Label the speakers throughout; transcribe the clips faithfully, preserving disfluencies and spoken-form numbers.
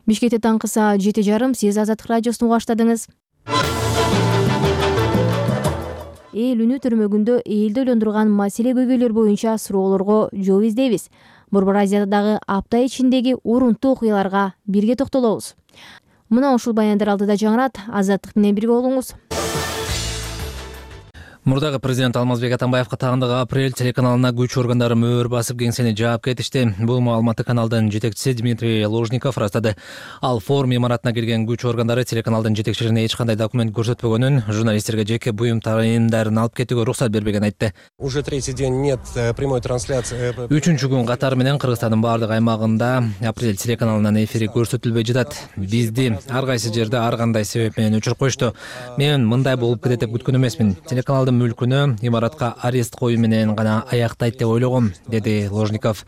Speaker 1: Бишкекте таңкы саат жети жарым сиз Азаттык радиосун угуп баштадыңыз. Эл үнү төрмөгүндө элди ойлондурган маселе көйгөйлөр боюнча суроолорго жооп издейбиз. Борбор Азиядагы апта ичиндеги урунттуу окуяларга бирге токтолобуз. Мына ушул баяндар алдыда жаңырат. Азаттык менен бирге болуңуз.
Speaker 2: Мурдагы президент Алмазбек Атамбаевга тагындагы апрель телеканалына күч органдары мөөр басып кеңсени жаап кетишти. Бул маалыматты каналдын жетекчиси Дмитрий Лужников растады. Ал форум имаратына келген күч органдары телеканалдын жетекчилигине эч кандай документ көрсөтпөгөнүн, журналисттерге жеке буюм тайындарын алып кетүүгө уруксат бербеген айтты.
Speaker 3: Уже третий день нет прямой трансляции.
Speaker 2: Үчүнчү күн катары менен Кыргызстандын баардык аймагында апрель телеканалынын эфири көрсөтүлбөй жатат. Бизди ар кайсы жерде ар кандай себеп менен өчүрүп коюшту. Мен мындай болуп кетет деп күткөн эмесмин. Телеканалдын мүлкүнө имаратка арест коюу менен гана аяктайт деп ойлогом, деди Ложников.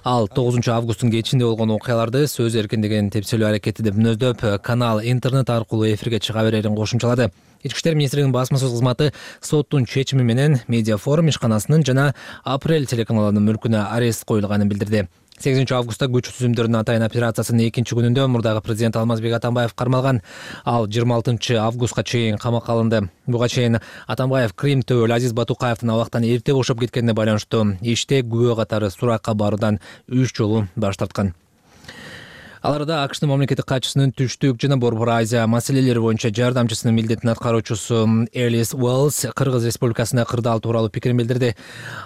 Speaker 2: Ал тогузунчу августтун кечинде болгон окуяларды сөз эркиндигин тепселөө аракети деп мүнөздөп, канал интернет аркылуу эфирге чыга берерин кошумчалады. Ички иштер министринин басма сөз кызматы соттун чечими менен медиа форум ишканасынын жана апрель телеканалынын мүлкүнө арест коюлганын билдирди. сегизинчи августта күч түзүмдөрүнүн атайын операциясынын экинчи күнүндө мурдагы президент Алмазбек Атамбаев кармалган. Ал жыйырма алтынчы августка чейин камакка алынды. Буга чейин Атамбаев Крим төбөл Азиз Батукаевдин абактан эрте бошоп кеткенине байланыштуу иште күбө катары суракка баруудан үч жолу баш тарткан. Аларда АКШтын мамлекеттик катчысынын түштүк жана Борбор Азия маселелери боюнча жардамчысынын милдетин аткаруучусу Элис Уэллс Кыргыз Республикасына кырдаал тууралуу пикирин билдирди.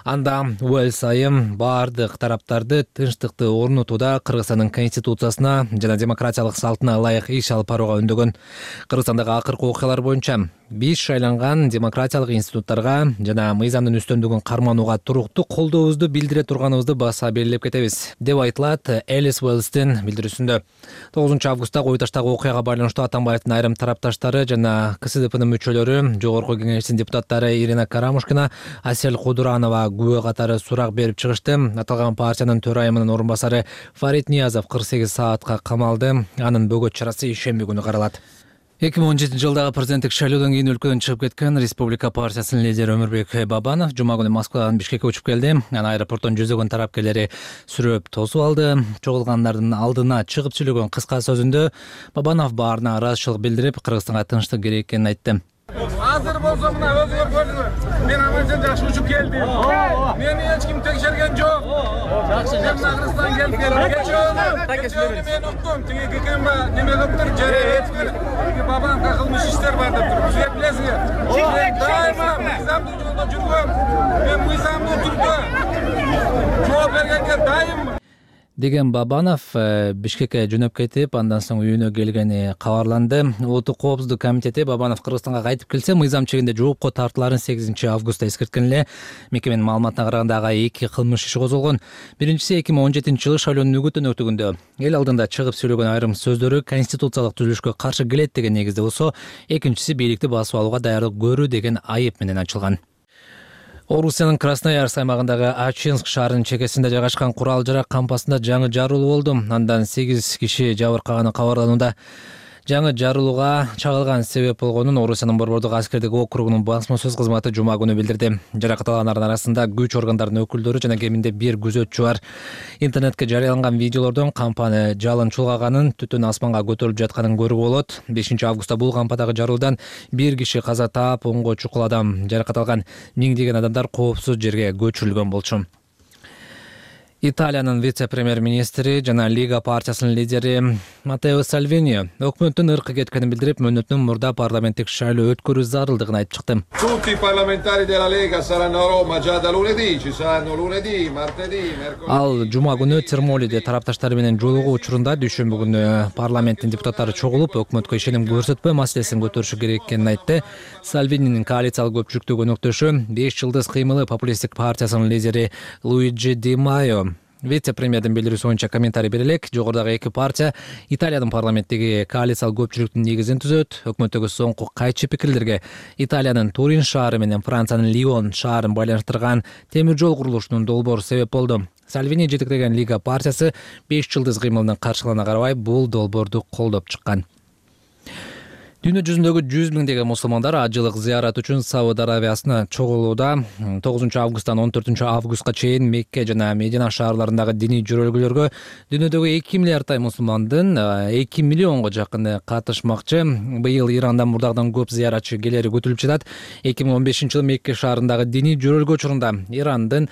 Speaker 2: Анда Уэллс айым баардык тараптарды тынчтыкты орнотууда Кыргызстандын конституциясына жана демократиялык салтына ылайык иш алып барууга үндөгөн. Кыргызстандагы акыркы окуялар боюнча биз шайланган демократиялык институттарга жана мыйзамдын үстөмдүгүн карманууга туруктуу колдообузду билдире турганыбызды баса белгилеп кетебиз, деп айтылат Элис Уэллстин билдирүүсүндө. тогузунчу августта кою таштагы окуяга байланыштуу Атамбаевдин айрым тарапташтары жана КСДПнын мүчөлөрү, Жогорку Кеңештин депутаттары Ирина Карамушкина, Асель Кудуранова күбө катары сурак берип чыгышты. Аталган партиянын төрайымынын орун басары Фарид Ниязов кырк сегиз саатка камалды. Анын бөгөт чарасы ишемби күнү каралат. эки миң он жетинчи жылдагы президенттик шайлоодон кийин өлкөдөн чыгып кеткен Республика партиясынын лидери Өмүрбек Бабанов жума күнү Москвадан Бишкекке учуп келди. Анын аэропорттон жүзөгөн тарапкерлери сүрөп тосуп алды. Чогулгандардын алдына чыгып сүйлөгөн кыска сөзүндө Бабанов баарына ыраазычылык билдирип, Кыргызстанга тынчтык керек экенин айтты.
Speaker 4: Азыр болсо мына өзүңөр көрдүңөр. Мен аман жакшы учуп келдим. Мени эч ким текшерген жок. Жакшы, мен Кыргызстанга келип келдим. Кечээ мен уктум. Тиги кекемба неме кылыптыр, жере эткир. Бабанга кылмыш иштер бар деп туруп. Сиз билесиңер. Мен дайыма мыйзамдуу жолдо жүргөм. Мен мыйзамдуу түрдө жооп бергенге дайым.
Speaker 2: Деген Бабанов Бишкекке жөнөп кетип, андан соң үйүнө келгени кабарланды. Улуттук коопсуздук комитети Бабанов Кыргызстанга кайтып келсе, мыйзам чегинде жоопко тартыларын сегизинчи августта эскерткен эле. Мекеменин маалыматына караганда ага эки кылмыш иши козголгон. Биринчиси эки миң он жетинчи жылы шайлоонун үгүтүн өтүгүндө эл алдында чыгып сүйлөгөн айрым сөздөрү конституциялык түзүлүшкө каршы келет деген негизде болсо, экинчиси бийликти басып алууга даярдык көрүү деген айып менен ачылган. Орусиянын Красноярск аймагындагы Ачинск шаарынын чекесинде жайгашкан курал-жарак кампасында жаңы жарылуу болду. Андан сегиз киши жабыркаганы кабарланууда. Жаңы жарылууга чагылган себеп болгонун Орусиянын Борбордук аскердик округунун басма сөз кызматы жума күнү билдирди. Жаракат алгандардын арасында күч органдарынын өкүлдөрү жана кеминде бир күзөтчү бар. Интернетке жарыяланган видеолордон кампаны жалын чулгаганын, түтүн асманга көтөрүлүп жатканын көрүүгө болот. бешинчи августта бул кампадагы жарылуудан бир киши каза таап, онго чукул адам жаракат алган. Миңдеген адамдар коопсуз жерге көчүрүлгөн болчу. Италиянын вице-премьер-министри жана Лига партиясынын лидери Матео Сальвини өкмөттүн ыркы кеткенин билдирип, мөөнөттүн мурда парламенттик шайлоо өткөрүү зарылдыгын айтып чыкты.
Speaker 4: Tutti i parlamentari della Lega saranno a Roma già da lunedì, ci saranno lunedì, martedì, mercoledì.
Speaker 2: Ал жума күнү Термолиде тарапташтары менен жолугуу учурунда дүйшөмбү күнү парламенттин депутаттары чогулуп, өкмөткө ишеним көрсөтпөө маселесин көтөрүшү керек экенин айтты. Сальвининин коалициялык көпчүлүктөгү өнөктөшү беш жылдыз кыймылы популисттик партиясынын лидери Луиджи Ди Майо. Вице-премьердин билдирүүсү боюнча комментарий бере элек. Жогорудагы эки партия Италиянын парламенттеги коалициялык көпчүлүктүн негизин түзөт. Өкмөттөгү соңку кайчы пикирлерге Италиянын Турин шаары менен Франциянын Лион шаарын байланыштырган темир жол курулушунун долбоору себеп болду. Сальвини жетектеген Лига партиясы беш жылдыз кыймылынын каршылыгына карабай бул долбоорду колдоп чыккан. Дүйнө жүзүндөгү жүз миңдеген мусулмандар ажылык зыярат үчүн Сауд Арабиясына чогулууда. тогузунчу августтан он төртүнчү августка чейин Мекке жана Медина шаарларындагы диний жөрөлгөлөргө дүйнөдөгү эки миллиардтай мусулмандын эки миллионго жакыны катышмакчы. Быйыл Ирандан мурдагыдан көп зыяратчы келери күтүлүп жатат. эки миң он бешинчи жылы Мекке шаарындагы диний жөрөлгө учурунда Ирандын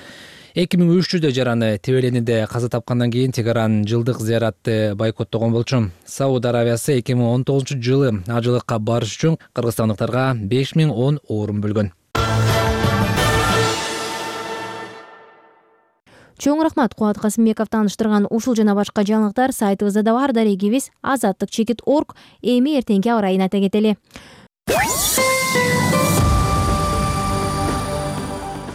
Speaker 2: эки миң үч жүздөй жараны тебелениде каза тапкандан кийин Тегеран жылдык зыяратты бойкоттогон болчу. Сауд Арабиясы эки миң он тогузунчу жылы ажылыкка барыш үчүн кыргызстандыктарга беш миң он орун бөлгөн.
Speaker 1: Чоң рахмат, Кубат Касымбеков тааныштырган ушул жана башка жаңылыктар сайтыбызда да бар. Дарегибиз азаттык чекит точка орг. Эми эртеңки аба ырайын айта кетели.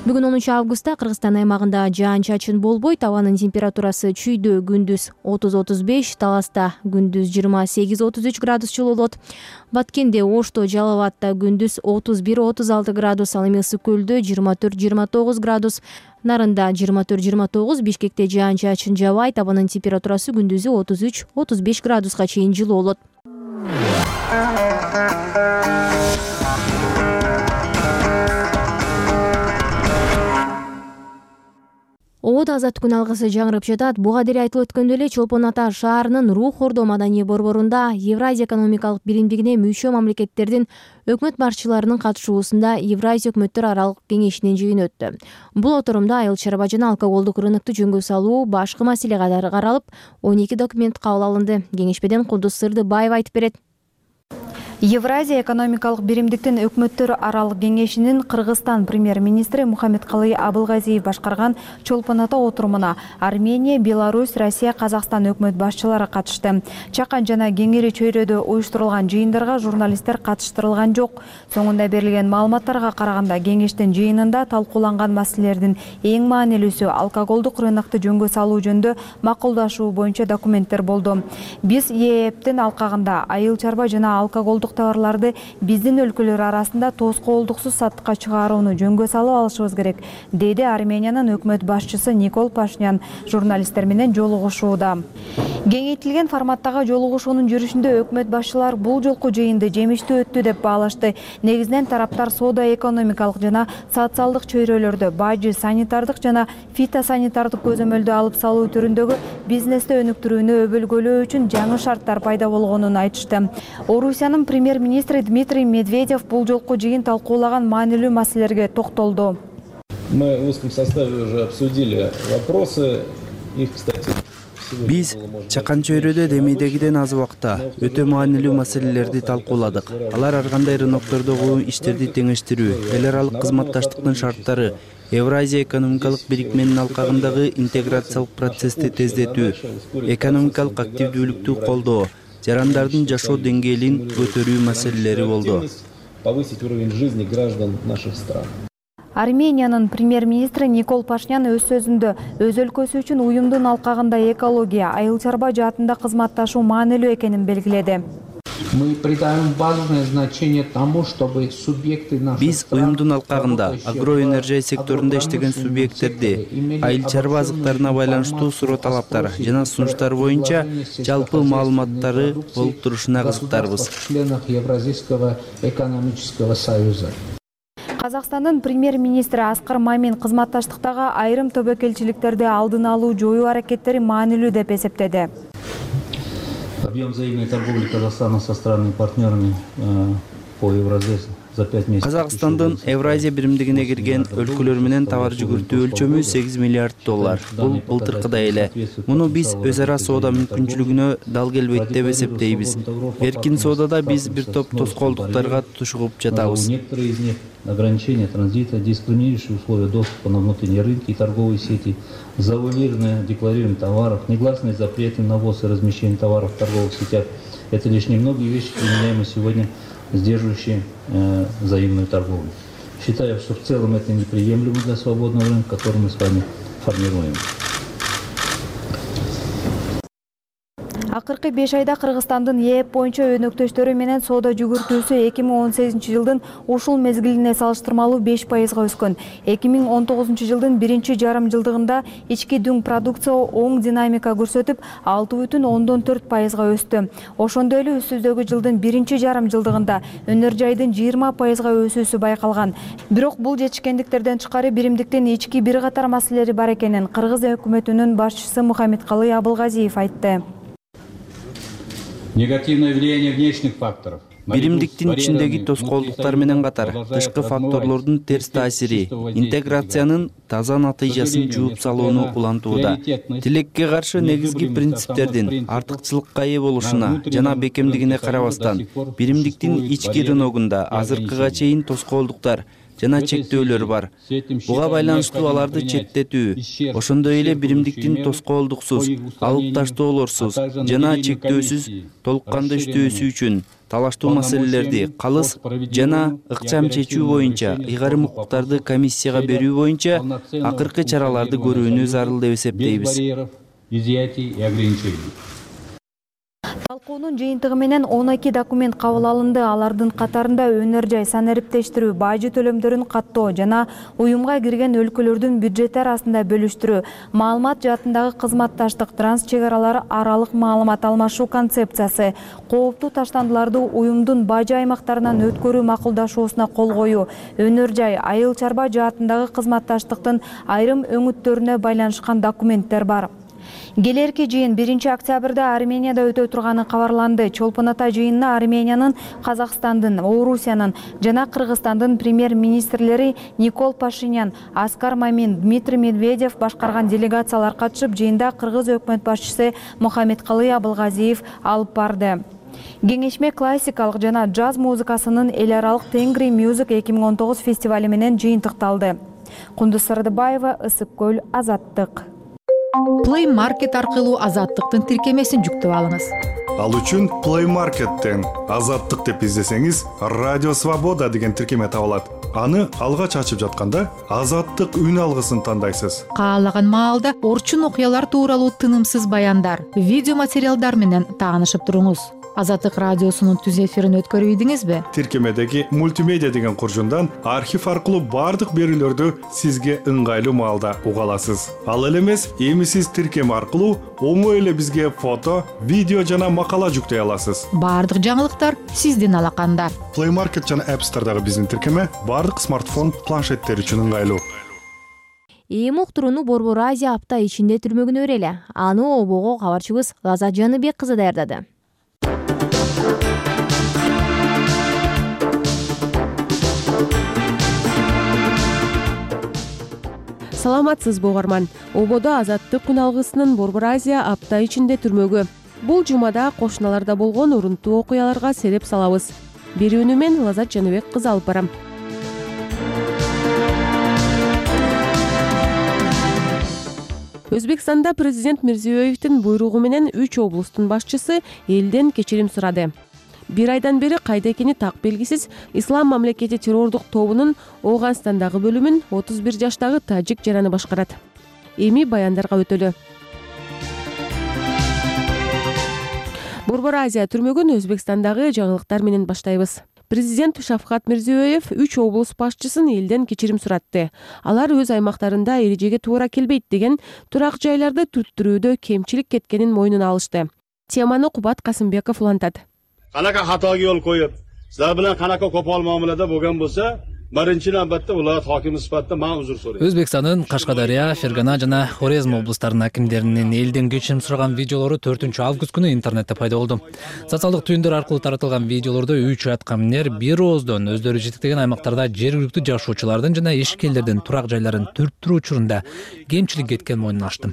Speaker 1: Бүгүн онунчу августта Кыргызстан аймагында жаан-чачын болбойт. Абанын температурасы чүйдө күндүз отуз отуз беш, Таласта күндүз жыйырма сегиз отуз үч градус жылуу болот. Баткенде, Ошто, Жалал Абадта күндүз отуз бир отуз алты градус, ал эми Ысык Көлдө жыйырма төрт жыйырма тогуз градус, Нарында жыйырма төрт жыйырма тогуз, Бишкекте жаан-чачын жабайт. Абанын температурасы күндүзү отуз үч отуз беш градуска чейин жылуу болот. Ободо азаттык күн алгысы жаңырып жатат. Буга дейин айтылып өткөндөй эле Чолпон Ата шаарынын Рух Ордо маданий борборунда Евразия экономикалык биримдигине мүчө мамлекеттердин өкмөт башчыларынын катышуусунда Евразия өкмөттөр аралык кеңешинин жыйыны өттү. Бул отурумда айыл чарба жана алкоголдук рынокду жөнгө салуу башкы маселе катары каралып, он эки документ кабыл алынды. Кеңешмеден Кулдус Сырдыбаева айтып берет.
Speaker 5: Евразия экономикалык биримдиктин өкмөттөр аралык кеңешинин Кыргызстан премьер-министри Мухаммедкалый Абылгазиев башкарган Чолпон Ата отурумуна Армения, Беларусь, Россия, Казакстан өкмөт башчылары катышты. Чакан жана Кеңири чөйрөдө уюштурулган жыйындарга журналисттер катыштырылган жок. Соңунда берилген маалыматтарга караганда кеңештин жыйынында талкууланган маселелердин эң маанилүүсү алкоголдук рынокду жөнгө салуу жөнүндө макулдашуу боюнча документтер болду. Биз ЕЭПтин алкагында айыл чарба жана алкоголдук товарларды биздин өлкөлөр арасында тоскоолдуксуз сатыкка чыгарууну жөнгө салып алышыбыз керек, деди Армениянын өкмөт башчысы Никол Пашинян журналисттер менен жолугушууда. Кеңейтилген форматтагы жолугушуунун жүрүшүндө өкмөт башчылар бул жолку жыйынды жемиштүү өттү деп баалашты. Негизинен тараптар соода экономикалык жана социалдык чөйрөлөрдө бажы, санитардык жана фитосанитардык көзөмөлдү алып салуу түрүндөгү бизнести өнүктүрүүнү өбөлгөлөө үчүн жаңы шарттар пайда болгонун айтышты. Орусиянын премьер-министри Дмитрий Медведев бул жолку жыйын талкуулаган маанилүү маселелерге токтолду.
Speaker 6: Мы в узком составе уже обсудили вопросы. Их, кстати,
Speaker 7: Биз чакан чөйрөдө демейдегиден аз убакта өтө маанилүү маселелерди талкууладык. Алар ар кандай рыноктордогу иштерди теңештирүү, эл аралык кызматташтыктын шарттары, Евразия экономикалык бирикменин алкагындагы интеграциялык процессти тездетүү, экономикалык активдүүлүктү колдоо, жарандардын жашоо деңгээлин көтөрүү маселелери болду.
Speaker 6: Повысить уровень жизни граждан наших стран.
Speaker 5: Армениянын премьер-министри Никол Пашинян өз сөзүндө өз өлкөсү үчүн уюмдун алкагында экология, айыл чарба жаатында кызматташуу маанилүү экенин белгиледи.
Speaker 8: Мы придаем важное значение тому, чтобы субъекты наших
Speaker 7: Биз уюмдун алкагында агроэнергия секторунда иштеген субъекттерди айыл чарба азыктарына байланыштуу суроо талаптар жана сунуштар боюнча жалпы маалыматтары болуп турушуна кызыктарбыз.
Speaker 8: членах Евразийского экономического союза.
Speaker 5: Казакстандын премьер-министри Аскар Мамин кызматташтыктагы айрым тобокелчиликтерди алдын алуу жоюу аракеттери маанилүү деп эсептеди.
Speaker 6: Объем взаимной торговли Казахстана со странами-партнерами по Евразии за пять месяцев.
Speaker 7: Казакстандын Евразия биримдигине кирген өлкөлөр менен товар жүгүртүү өлчөмү сегиз миллиард доллар. Бул былтыркыдай эле. Муну биз өз ара соода мүмкүнчүлүгүнө дал келбейт деп эсептейбиз. Эркин соодада биз бир топ тоскоолдуктарга тушугуп жатабыз.
Speaker 6: Некоторые из них ограничения транзита, дискриминирующие условия доступа на внутренние рынки и торговые сети, завуалированное декларирование товаров, негласные запреты на ввоз и размещение товаров в торговых сетях. Это лишь немногие вещи, применяемые сегодня, сдерживающие э, взаимную торговлю. Считаю, что в целом это неприемлемо для свободного рынка, который мы с вами формируем.
Speaker 5: Акыркы беш айда Кыргызстандын ЕЭП боюнча өнөктөштөрү менен соода жүгүртүүсү эки миң он сегизинчи жылдын ушул мезгилине салыштырмалуу беш пайызга өскөн. эки миң он тогузунчу жылдын биринчи жарым жылдыгында ички дүң продукция оң динамика көрсөтүп, алты бүтүн ондон төрт пайызга өстү. Ошондой эле үстүздөгү жылдын биринчи жарым жылдыгында өнөр жайдын жыйырма пайызга өсүүсү байкалган. Бирок бул жетишкендиктерден тышкары биримдиктин ички бир катар маселелери бар экенин Кыргыз өкмөтүнүн башчысы Мухаммедкалый Абылгазиев айтты.
Speaker 6: Негативное влияние внешних факторов.
Speaker 7: Биримдиктин ичиндеги тоскоолдуктар менен катар тышкы факторлордун терс таасири интеграциянын таза натыйжасын жууп салууну улантууда. Тилекке каршы негизги принциптердин артыкчылыкка ээ болушуна жана бекемдигине карабастан, биримдиктин ички рыногунда азыркыга чейин тоскоолдуктар жана чектөөлөр бар. Буга байланыштуу аларды четтетүү, ошондой эле биримдиктин тоскоолдуксуз, алып таштоолорсуз жана чектөөсүз толук кандуу иштөөсү үчүн талаштуу маселелерди калыс жана ыкчам чечүү боюнча ыйгарым укуктарды комиссияга берүү боюнча акыркы чараларды көрүүнү зарыл деп эсептейбиз.
Speaker 5: Талкуунун жыйынтыгы менен он эки документ кабыл алынды. Алардын катарында өнөр жай санариптештирүү, бажы төлөмдөрүн каттоо жана уюмга кирген өлкөлөрдүн бюджети арасында бөлүштүрүү, маалымат жаатындагы кызматташтык, транс чек аралар аралык маалымат алмашуу концепциясы, кооптуу таштандыларды уюмдун бажы аймактарынан өткөрүү макулдашуусуна кол коюу, өнөр жай, айыл чарба жаатындагы кызматташтыктын айрым өңүттөрүнө байланышкан документтер бар. Келерки жыйын биринчи октябрда Арменияда өтө турганы кабарланды. Чолпон ата жыйынына Армениянын, Казакстандын, Орусиянын жана Кыргызстандын премьер-министрлери Никол Пашинян, Аскар Мамин, Дмитрий Медведев башкарган делегациялар катышып, жыйында Кыргыз өкмөт башчысы Мухаммедкалый Абылгазиев алып барды. Кеңешме классикалык жана джаз музыкасынын эл аралык Тенгри Music эки миң он тогуз фестивали менен жыйынтыкталды. Кундуз Сырдыбаева, Ысык көл, Азаттык.
Speaker 9: Play Market аркылуу Азаттыктын тиркемесин жүктөп алыңыз.
Speaker 10: Ал үчүн Play Market'тен Азаттык деп издесеңиз, Радио Свобода деген тиркеме табылат. Аны алгач ачып жатканда Азаттык үн алгысын тандайсыз.
Speaker 9: Каалаган маалда орчун окуялар тууралуу тынымсыз баяндар, видео материалдар менен таанышып туруңуз. Азаттык радиосунун түз эфирин өткөрүп ийдиңизби?
Speaker 10: Тиркемедеги мультимедиа деген куржундан архив аркылуу бардык берүүлөрдү сизге ыңгайлуу маалда уга аласыз. Ал эле эмес, эми сиз тиркеме аркылуу оңой эле бизге фото, видео жана макала жүктөй аласыз.
Speaker 9: Бардык жаңылыктар сиздин алаканда.
Speaker 10: Play Market жана App Store'дагы биздин тиркеме бардык смартфон, планшеттер үчүн ыңгайлуу.
Speaker 1: Эми уктурууну Борбор Азия апта ичинде түрмөгүнө берели. Аны обого кабарчыбыз Лазат Жаныбек кызы даярдады.
Speaker 11: Саламатсызбы угарман. Ободо Азаттык күн алгысынын Борбор Азия апта ичинде түрмөгү. Бул жумада кошуналарда болгон урунтуу окуяларга сереп салабыз. Берүүнү мен Лазат Жаныбек кызы алып барам. Өзбекстанда президент Мирзиёевдин буйругу менен үч облустун башчысы элден кечирим сурады. Бир айдан бери кайда экени так белгисиз Ислам мамлекети террордук тобунун Ооганстандагы бөлүмүн отуз бир жаштагы тажик жараны башкарат. Эми баяндарга өтөлү. Борбор Азия түрмөгүн Өзбекстандагы жаңылыктар менен баштайбыз. Президент Шавкат Мирзиёев үч облус башчысын элден кечирим суратты. Алар өз аймактарында эрежеге туура келбейт деген турак жайларды түрттүрүүдө кемчилик кеткенин мойнуна алышты. Теманы Кубат Касымбеков улантат.
Speaker 12: Qanaqa xatoga yo'l qo'yib, sizlar bilan qanaqa qo'pol muomalada bo'lgan bo'lsa, birinchi navbatda viloyat hokimi sifatida men uzr so'rayman.
Speaker 2: Өзбекстандын Кашкадария, Фергана жана Хорезм облустарынын акимдеринин элден кечирим сураган видеолору төртүнчү август күнү интернетте пайда болду. Социалдык түйүндөр аркылуу таратылган видеолордо үч аткаминер бир ооздон өздөрү жетектеген аймактарда жергиликтүү жашоочулардын жана ишкерлердин турак жайларын түрттүрүү учурунда кемчилик кеткен мойнуна ачты.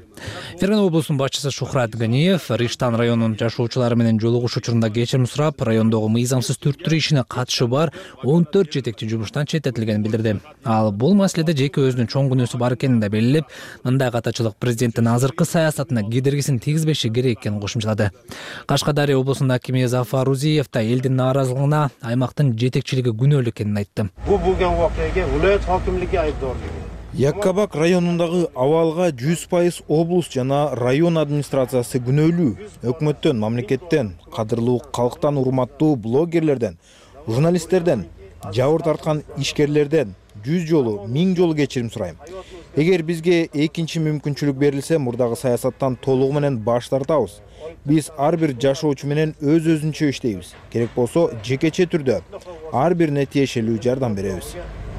Speaker 2: Фергана облусунун башчысы Шухрат Ганиев Риштан районунун жашоочулары менен жолугуш учурунда кечирим сурап, райондогу мыйзамсыз түрттүрүү ишине катышы бар он төрт жетекчи жумуштан четтетилгенин билдирди. Ал бул маселеде жеке өзүнүн чоң күнөөсү бар экенин да белгилеп, мындай катачылык президенттин азыркы саясатына кедергисин тийгизбеши керек экенин кошумчалады. Кашкадария облусунун акими Зафар Узиев да элдин нааразылыгына аймактын жетекчилиги күнөөлүү экенин айтты.
Speaker 12: Bu bo'lgan voqeaga viloyat hokimligi aybdorligi.
Speaker 13: Яккабак районундагы абалга жүз пайыз облус жана район администрациясы күнөөлүү. Өкмөттөн, мамлекеттен, кадырлуу калктан урматтуу блогерлерден, журналисттерден, жабыр тарткан ишкерлерден жүз жолу, миң жолу кечирим сурайм. Эгер бизге экинчи мүмкүнчүлүк берилсе, мурдагы саясаттан толугу менен баш тартабыз. Биз ар бир жашоочу менен өз өзүнчө иштейбиз. Керек болсо, жекече түрдө ар бирине тиешелүү жардам беребиз.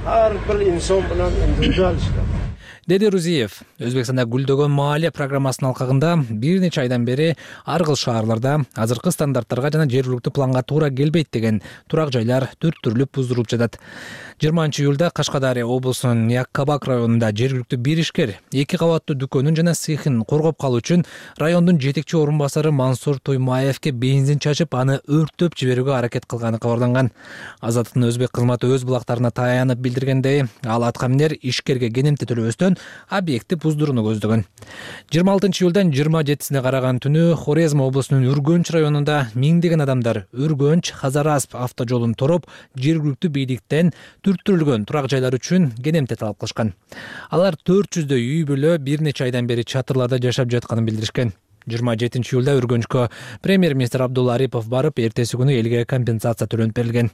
Speaker 14: Ар бир инсон менен индивидуал иштейт.
Speaker 2: Деди Рузиев Өзбекстанда гүлдөгөн маалия программасынын алкагында бир нече айдан бери ар кыл шаарларда азыркы стандарттарга жана жергиликтүү планга туура келбейт деген турак жайлар төрттүрүлүп буздурулуп жатат. жыйырманчы июлда Кашкадария облусунун Яккабак районунда жергиликтүү бир ишкер эки кабаттуу дүкөнүн жана цехин коргоп калуу үчүн райондун жетекчи орун басары Мансур Туймаевке бензин чачып, аны өрттөп жиберүүгө аракет кылганы кабарланган. Азаттыктын өзбек кызматы өз булактарына таянып билдиргендей, ал атка минер ишкерге кенемти төлөбөстөн объекти буздурууну көздөгөн. жыйырма алтынчы июлдан жыйырма жетисине караган түнү Хорезм облусунун Үргөнч районунда миңдеген адамдар Үргөнч Хазарасп автожолун тороп, жергиликтүү бийликтен түрттүрүлгөн турак жайлар үчүн кенемти талап кылышкан. Алар төрт жүздөй үй бүлө бир нече айдан бери чатырларда жашап жатканын билдиришкен. жыйырма жетинчи июлда Үргөнчкө премьер-министр Абдулла Арипов барып, эртеси күнү элге компенсация төлөнүп берилген.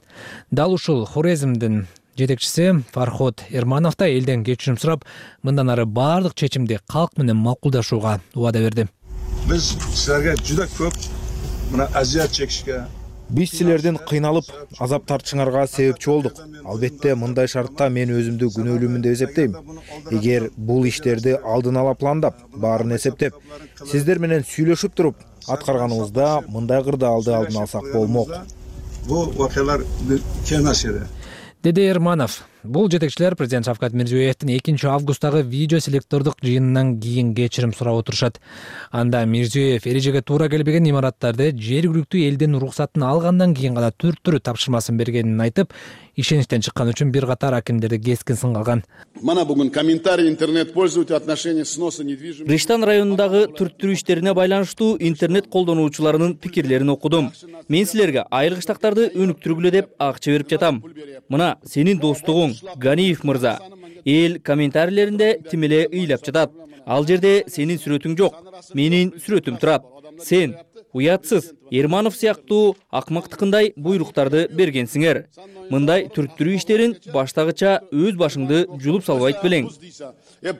Speaker 2: Дал ушул Хорезмдин жетекчиси Фархот Эрманов да элден кечирим сурап, мындан ары баардык чечимди калк менен макулдашууга убада берди.
Speaker 15: Биз силерге жуда көп мына азият чекишке,
Speaker 13: Биз силерден кыйналып, азап тартышыңарга себепчи болдук. Албетте, мындай шартта мен өзүмдү күнөөлүүмүн деп эсептейм. Эгер бул иштерди алдын ала пландап, баарын эсептеп, сиздер менен сүйлөшүп туруп аткарганыбызда мындай кырдаалды алдын алсак болмок.
Speaker 15: Бул вакыялар кең нерсе.
Speaker 2: Деди Эрманов. Бул жетекчилер президент Шавкат Мирзиёевдин экинчи августтагы видео селектордук жыйынынан кийин кечирим сурап отурушат. Анда Мирзиёев эрежеге туура келбеген имараттарды жергиликтүү элдин уруксатын алгандан кийин гана түрттүрүү тапшырмасын бергенин айтып, ишеничтен чыккан үчүн бир катар акимдерди кескин сынга алган.
Speaker 16: Мана бүгүн комментарий интернет пользователь отношения сноса недвижимости.
Speaker 17: Риштан районундагы түрттүрүү иштерине байланыштуу интернет колдонуучуларынын пикирлерин окудум. Мен силерге айыл кыштактарды өнүктүргүлө деп акча берип жатам. Мына сенин достугуң Ганиев мырза. Эл комментарийлеринде тимеле ыйлап жатат. Ал жерде сенин сүрөтүң жок, менин сүрөтүм турат. Сен уятсыз Эрманов сыяктуу акмактыкындай буйруктарды бергенсиңер. Мындай түрттүрүү иштерин баштагыча өз башыңды жулуп салбайт белең.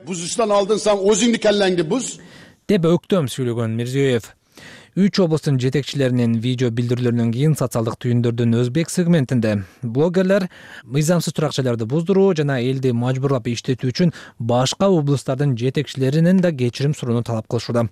Speaker 16: Бузуштан алдын саң өзүңдү келлеңди буз.
Speaker 2: Деп өктөм сүйлөгөн Мирзиёев. Үч облустун жетекчилеринин видео билдирүүлөрүнөн кийин социалдык түйүндөрдүн өзбек сегментинде блогерлер мыйзамсыз турак жайларды буздуруу жана элди мажбурлап иштетүү үчүн башка облустардын жетекчилеринен да кечирим суроону талап кылышууда.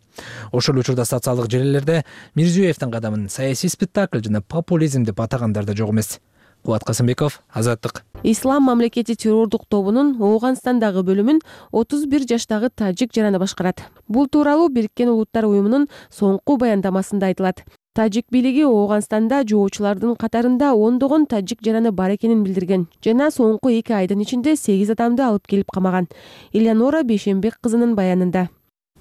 Speaker 2: Ошол учурда социалдык желилерде Мирзиёевдин кадамын саясий спектакль жана популизм деп атагандар да жок эмес. Кубат Касымбеков, Азаттык.
Speaker 11: Ислам мамлекети террордук тобунун Ооганстандагы бөлүмүн отуз бир жаштагы тажик жараны башкарат. Бул тууралуу Бириккен Улуттар уюмунун соңку баяндамасында айтылат. Тажик бийлиги Ооганстанда жоочулардын катарында ондогон тажик жараны бар экенин билдирген жана соңку эки айдын ичинде сегиз адамды алып келип камаган. Элеонора Бейшенбек кызынын баянында.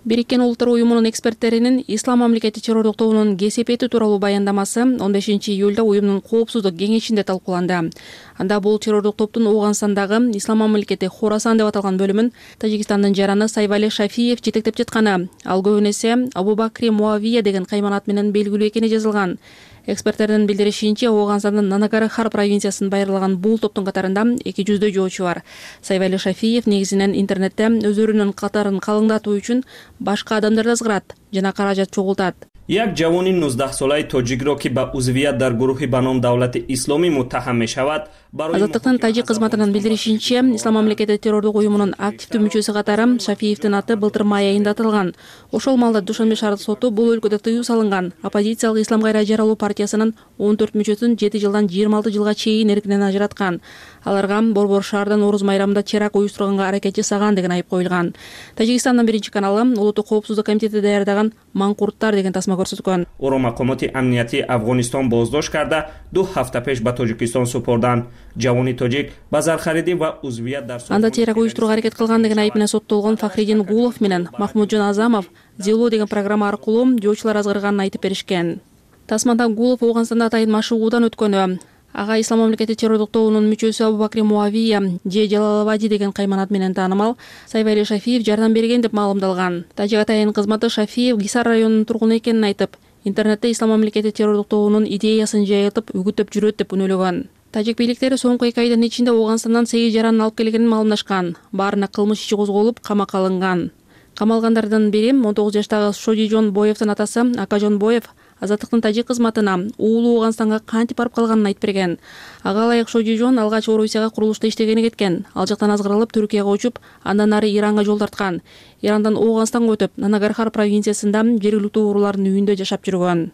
Speaker 18: Бириккен Улуттар уюмунун эксперттеринин Ислам мамлекети террордук тобунун кесепети тууралуу баяндамасы он бешинчи июлда уюмдун коопсуздук кеңешинде талкууланды. Анда бул террордук топтун Ооганстандагы Ислам мамлекети Хорасан деп аталган бөлүмүн Тажикстандын жараны Сайвали Шафиев жетектеп жатканы, ал көбүн эсе Абу-Бакри Муавия деген кайманат менен белгилүү экени жазылган. Эксперттердин билдиришинче, Ооганстандын Нанагархар провинциясын байырлаган бул топтун катарында эки жүздөй жоочу бар. Сайвали Шафиев негизинен интернетте өздөрүнүн катарын калыңдатуу үчүн башка адамдарды азгырат жана каражат чогултат.
Speaker 19: як ҷавони нуздаҳсолаи тоҷикро ки ба узвият дар гурӯҳи ба ном давлати исломӣ муттаҳам мешавад.
Speaker 18: Азаттыктын тажик кызматынын билдиришинче, Ислам мамлекети террордук уюмунун активдүү мүчөсү катары Шафиевдин аты былтыр май айында аталган. Ошол маалда Душанбе шаардык соту бул өлкөдө тыюу салынган оппозициялык Ислам кайра жаралуу партиясынын он төрт мүчөсүн жети жылдан жыйырма алты жылга чейин эркинен ажыраткан. Аларга Борбор шаардан Орус майрамында теракт уюштурганга аракет жасаган деген айып коюлган. Тажикстандын биринчи каналы Улуттук коопсуздук комитети даярдаган Манкурттар деген тасма көрсөткөн.
Speaker 19: Оро мақомоти амнияти Афғонистон боздошт карда ду ҳафта пеш ба Тоҷикистон супурданд. Ҷавони тоҷик ба зархаридӣ ва узвият дар
Speaker 18: анда теракт уюштурууга аракет кылган деген айып менен соттолгон Фахриддин Гулов менен Махмуджон Азамов Зело деген программа аркылуу жоочулар азгырганын айтып беришкен. Тасмада Гулов Ооганстанда атайын машыгуудан өткөнү, Ага Ислам мамлекети террордук тобунун мүчөсү Абубакри Муавия же Жалалабади деген кайман менен таанымал Сайвали Шафиев жардам берген деп маалымдалган. Тажик атайын кызматы Шафиев Гисар районунун тургуну экенин айтып, интернетте Ислам мамлекети террордук тобунун идеясын жайылтып үгүттөп жүрөт деп үнөлөгөн. Тажик бийликтери соңку эки айдын ичинде Ооганстандан сегиз жаранын алып келгенин маалымдашкан. Баарына кылмыш иши козголуп, камакка алынган. Камалгандардын бири он тогуз жаштагы Шодижон Боевдин атасы Акажон Боев Азаттыктын тажик кызматына уулу Ооганстанга кантип барып калганын айтып берген. Ага ылайык Шодижон алгач Орусияга курулушта иштегени кеткен. Ал жактан азгырылып Түркияга учуп, андан ары Иранга жол тарткан. Ирандан Ооганстанга өтүп, Нанагархар провинциясында жергиликтүү уруулардын үйүндө жашап жүргөн.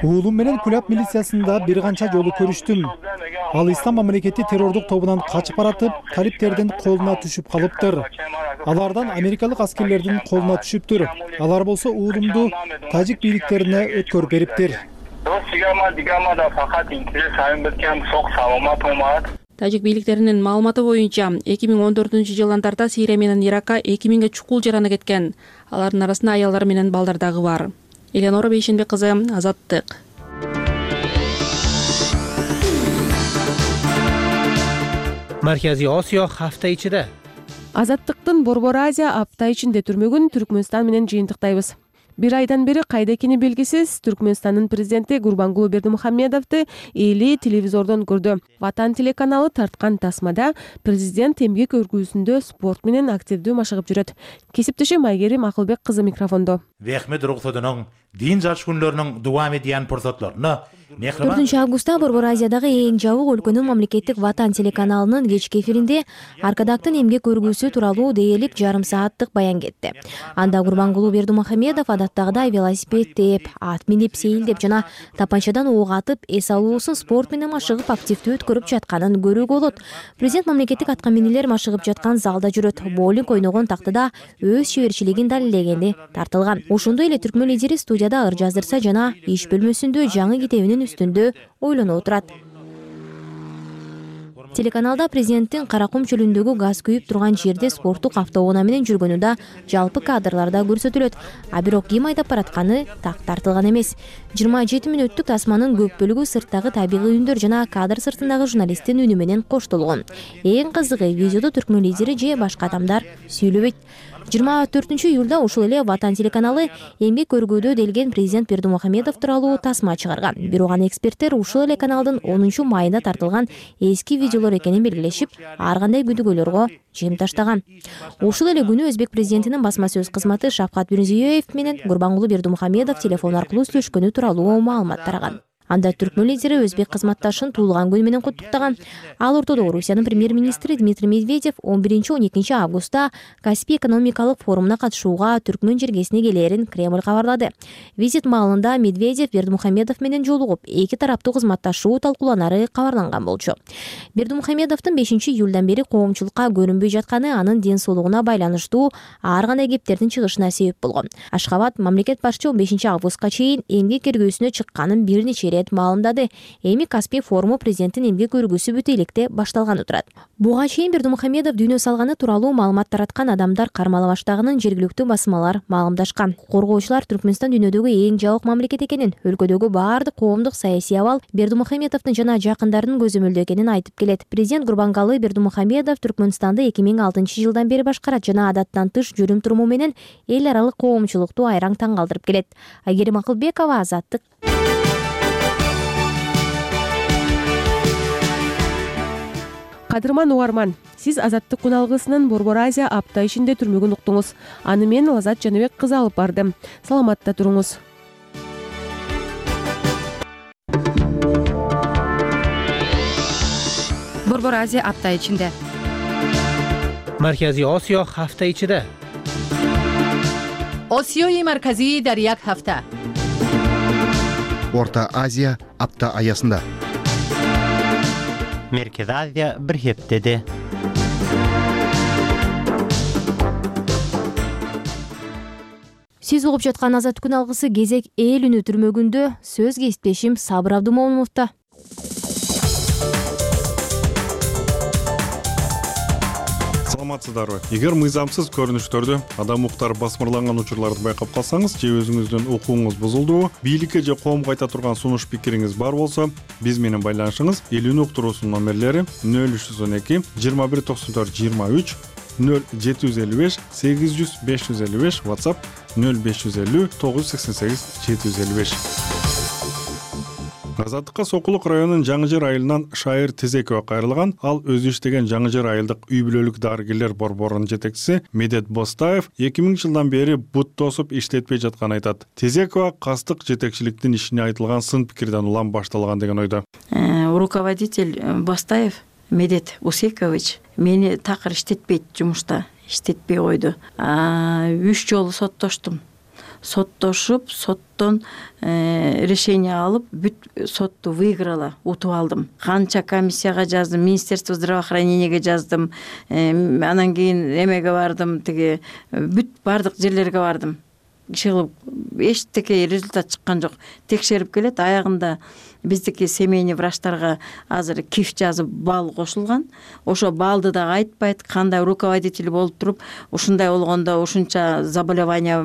Speaker 20: Уулум менен Куляб милициясында бир канча жолу көрүштүм. Ал Ислам мамлекети террордук тобунан качып баратып, талиптердин колуна түшүп калыптыр. Алардан америкалык аскерлердин колуна түшүптүр. Алар болсо уулумду тажик бийликтерине өткөрүп бериптир.
Speaker 18: Тажик бийликтеринин маалыматы боюнча эки миң он төртүнчү жылдан тарта Сирия менен Иракка эки миңге чукул жараны кеткен. Алардын арасында аялдар менен балдар дагы бар. Эленора Бейшенбек кызы, Азаттык.
Speaker 2: Марказий Осиё хafta ичиде.
Speaker 11: Азаттыктын Борбор Азия апта ичинде түрмөгүн Түркмөнстан менен жыйынтыктайбыз. Бир айдан бери кайда экени белгисиз Түркмөнстандын президенти Гурбангулы Бердимухамедовду эли телевизордон көрдү. Ватан телеканалы тарткан тасмада президент эмгек өргүүсүндө спорт менен активдүү машыгып жүрөт. Кесиптешим Айгерим Акылбек кызы микрофондо.
Speaker 21: Вехмет Рухсудунун дин жашкүнлөрүнүн дуам эткен фурсатларына
Speaker 1: төртүнчү августта Борбор Азиядагы эң жабык өлкөнүн мамлекеттик Ватан телеканалынын кечки эфиринде Аркадактын эмгек өргүүсү тууралуу дээрлик жарым сааттык баян кетти. Анда Гурбангулы Бердимухамедов адаттагыдай велосипед тээп, ат минип, сейилдеп жана тапанчадан ок атып, эс алуусун спорт менен машыгып активдүү өткөрүп жатканын көрүүгө болот. Президент мамлекеттик атка минилер машыгып жаткан залда жүрөт. Боулинг ойногон тактыда өз шеберчилигин далилдегени тартылган. Ошондой эле түркмөн лидери студияда ыр жаздырса жана иш бөлмөсүндө жаңы китебинин үстүндө ойлоно отурат. Телеканалда президенттин Каракум чөлүндөгү газ күйүп турган жерде спорттук автоунаа менен жүргөнү да жалпы кадрларда көрсөтүлөт. А бирок ким айдап баратканы так тартылган эмес. жыйырма жети мүнөттүк тасманын көп бөлүгү сырттагы табигый үндөр жана кадр сыртындагы журналисттин үнү менен коштолгон. Эң кызыгы видеодо түркмөн лидери же башка адамдар сүйлөбөйт. жыйырма төртүнчү июлда ушул эле Ватан телеканалы эмгек өргүүдө делген президент Бердимухамедов тууралуу тасма чыгарган. Бирок аны эксперттер ушул эле каналдын онунчу майында тартылган эски видеолор экенин белгилешип, ар кандай күдүгөөлөргө жем таштаган. Ушул эле күнү өзбек президентинин басма сөз кызматы Шавкат Мирзиёев менен Гурбангулы Бердимухамедов телефон аркылуу сүйлөшкөнү тууралуу маалымат тараган. Анда түркмөн лидери өзбек кызматташын туулган күнү менен куттуктаган. Ал ортодо Орусиянын премьер-министри Дмитрий Медведев он биринчи он экинчи августта Каспий экономикалык форумуна катышууга түркмөн жергесине келерин Кремль кабарлады. Визит маалында Медведев Бердимухамедов менен жолугуп, эки тараптуу кызматташуу талкууланары кабарланган болчу. Бердимухамедовдун бешинчи июлдан бери коомчулукка көрүнбөй жатканы анын ден соолугуна байланыштуу ар кандай кептердин чыгышына себеп болгон. Ашхабад мамлекет башчы он бешинчи августка чейин эмгек эргүүсүнө чыкканын бир нече маалымдады. Эми Каспий форуму президенттин эмгек өргүүсү бүт электе башталганы турат. Буга чейин Бердимухамедов дүйнө салганы тууралуу маалымат тараткан адамдар кармала баштаганын жергиликтүү басмалар маалымдашкан. Коргоочулар Түркмөнстан дүйнөдөгү эң жабык мамлекет экенин, өлкөдөгү баардык коомдук саясий абал Бердимухамедовдун жана жакындарынын көзөмөлдө экенин айтып келет. Президент Гурбангулы Бердимухамедов Түркмөнстанды эки миң алтынчы жылдан бери башкарат жана адаттан тыш жүрүм туруму менен эл аралык коомчулукту айраң таң калтырып келет. Айгерим Акылбекова, Азаттык.
Speaker 11: Кадырман угарман, сиз Азаттык куналгысынын Борбор Азия апта ичинде түрмөгүн уктуңуз. Аны мен Лазат Жаныбек кызы алып бардым. Саламатта туруңуз.
Speaker 22: Борбор Азия апта ичинде.
Speaker 2: Марказий Осиё хafta ичиде.
Speaker 22: Осиёи марказии дар як ҳафта.
Speaker 23: Орта Азия апта аясында.
Speaker 24: Merkez Азия bir heftede.
Speaker 1: Сиз угуп жаткан Азат күн алгысы кезек эл үнү түрмөгүндө сөз кесиптешим Сабыр Абдумомуновдо.
Speaker 10: саламатсыздарбы? Эгер мыйзамсыз көрүнүштөрдү, адам укуктары басмырланган учурларды байкап калсаңыз же өзүңүздүн укугуңуз бузулдубу, бийликке же коомго айта турган сунуш пикириңиз бар болсо, биз менен байланышыңыз. Элүүнү уктуруусунун номерлери нөл үч жүз он эки жыйырма бир токсон төрт жыйырма үч, нөл жети жүз элүү беш сегиз жүз беш жүз элүү беш, WhatsApp нөл беш жүз элүү тогуз жүз сексен сегиз жети жүз элүү беш. Азаттыкка Сокулук районунун Жаңы Жер айылынан Шайыр Тезекова кайрылган. Ал өзү иштеген Жаңы Жер айылдык үй бүлөлүк дарыгерлер борборунун жетекчиси Медет Бостаев эки миңинчи жылдан бери бут тосуп иштетпей жатканын айтат. Тезекова кастык жетекчиликтин ишине айтылган сын пикирден улам башталган деген ойдо.
Speaker 3: Руководитель Бостаев Медет Усекович мени такыр иштетпейт, жумушта иштетпей койду. Үч жолу соттоштум. Соттошуп, соттон решение алып, бүт сотту выиграла, утуп алдым. Канча комиссияга жаздым, Министерство здравоохранениеге жаздым, анан кийин эмеге бардым, тиги бүт бардык жерлерге бардым. Иши эчтеке результат чыккан жок. Текшерип келет, аягында биздики семейный врачтарга азыр киф жазып бал кошулган. Ошо балды да айтпайт, кандай руководитель болуп туруп, ушундай болгондо ушунча заболевание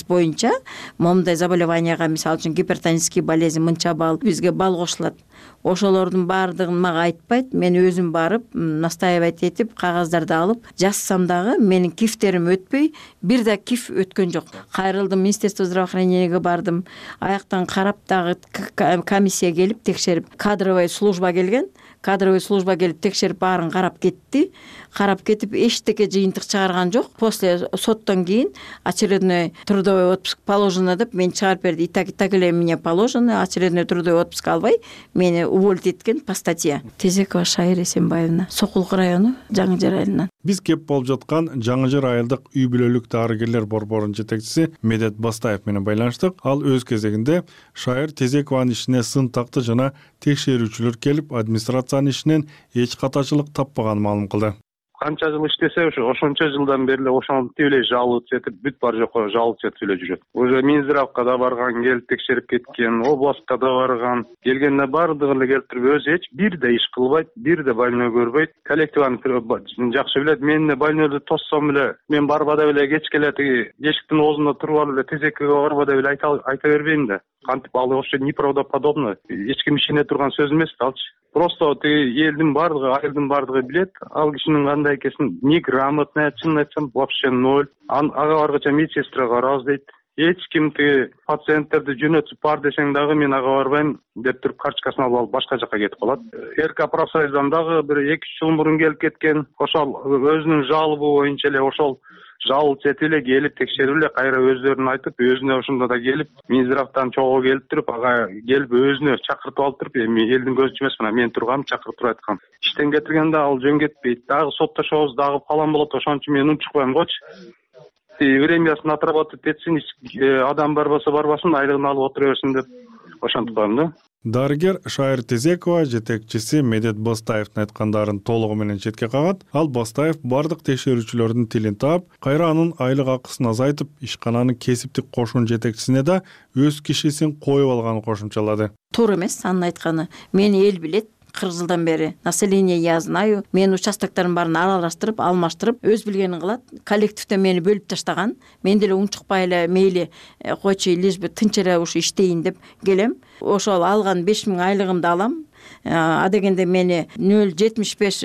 Speaker 3: боюнча, момундай заболеванияга, мисалы үчүн гипертонический болезнь мынча бал, бизге бал кошулат. Ошолордун баардыгын мага айтпайт, мен өзүм барып, настаивать этип, кагаздарды алып, жазсам дагы менин кифтерим өтпөй, бир да киф өткөн жок. Кайрылдым, Министерство здравоохранениеге бардым. Аяктан карап дагы комиссия келип текшерип, кадровый служба келген, кадровый служба келип текшерип баарын карап кетти. Карап кетип эчтеке жыйынтык чыгарган жок. После соттон кийин очередной трудовой отпуск положено деп мени чыгарып берди. И так и так эле мне положено, очередной трудовой отпуск албай мени уволить эткен по статье. Тезекова Шайыр Эсенбаевна, Сокулук району, Жаңы Жер айылынан.
Speaker 10: Биз кеп болуп жаткан Жаңы Жер айылдык үй бүлөлүк дарыгерлер борборунун жетекчиси Медет Бастаев менен байланыштык. Ал өз кезегинде Шайыр Тезекованын ишине сын такты жана текшерүүчүлөр келип, администрациянын ишинен эч катачылык таппаганын маалым кылды.
Speaker 4: Канча жыл иштесе, ошо ошончо жылдан бери эле ошентип эле жалып этип, бүт бар жокко жалып этип эле жүрөт. Уже Минздравга да барган, келип текшерип кеткен, областка да барган, келгенде баардыгын эле келтирип, өзү эч бир да иш кылбайт, бир да больной көрбөйт. Коллективаны жакшы билет, мен да больнойду тоссом эле, мен барбада эле кечке эле тиги эшиктин оозунда туруп алып эле Тезекеге барбада эле айта айта бербейм да. Кантип ал вообще неправдоподобно. Эч ким ишене турган сөз эмес да алчы. Просто тиги элдин баардыгы, айылдын баардыгы билет, ал кишинин кандай экенин неграмотный, чынын айтсам, вообще ноль. Ага баргыча медсестра карабыз дейт. Эч ким тиги пациенттерди жөнөтүп бар десең дагы мен ага барбайм деп туруп карточкасын алып алып башка жакка кетип калат. РК профсоюздан дагы бир эки үч жыл мурун келип кеткен. Ошол өзүнүн жалобы боюнча эле ошол жалып этип эле келип текшерип эле кайра өздөрүн айтып, өзүнө ошондо да келип, Минздравдан чогуу келип туруп, ага келип өзүнө чакыртып алып туруп, эми элдин көзүнчө эмес, мына мен тургам, чакыртып айткам. Иштен кетиргенде ал жөн кетпейт. Дагы соттошобуз, дагы фалан болот, ошон үчүн мен унчукпайм койчу. Времясын отработать этсин, адам барбаса барбасын, айлыгын алып отура берсин деп ошентип коем да.
Speaker 10: Дарыгер Шайыр Тезекова жетекчиси Медет Бастаевдин айткандарын толугу менен четке кагат. Ал Бастаев бардык текшерүүчүлөрдүн тилин таап, кайра анын айлык акысын азайтып, ишкананын кесиптик кошун жетекчисине да өз кишисин коюп алганын кошумчалады.
Speaker 3: Туура эмес анын айтканы. Мени эл билет. кырк жылдан бери население я знаю. Мен участоктордун баарын аралаштырып, алмаштырып, өз билгенин кылат. Коллективде мени бөлүп таштаган. Мен деле унчукпай эле мейли койчу, лишь бы тынч эле ушу иштейин деп келем. Ошол алган беш миң айлыгымды алам. А дегенде мени нөл жетимиш беш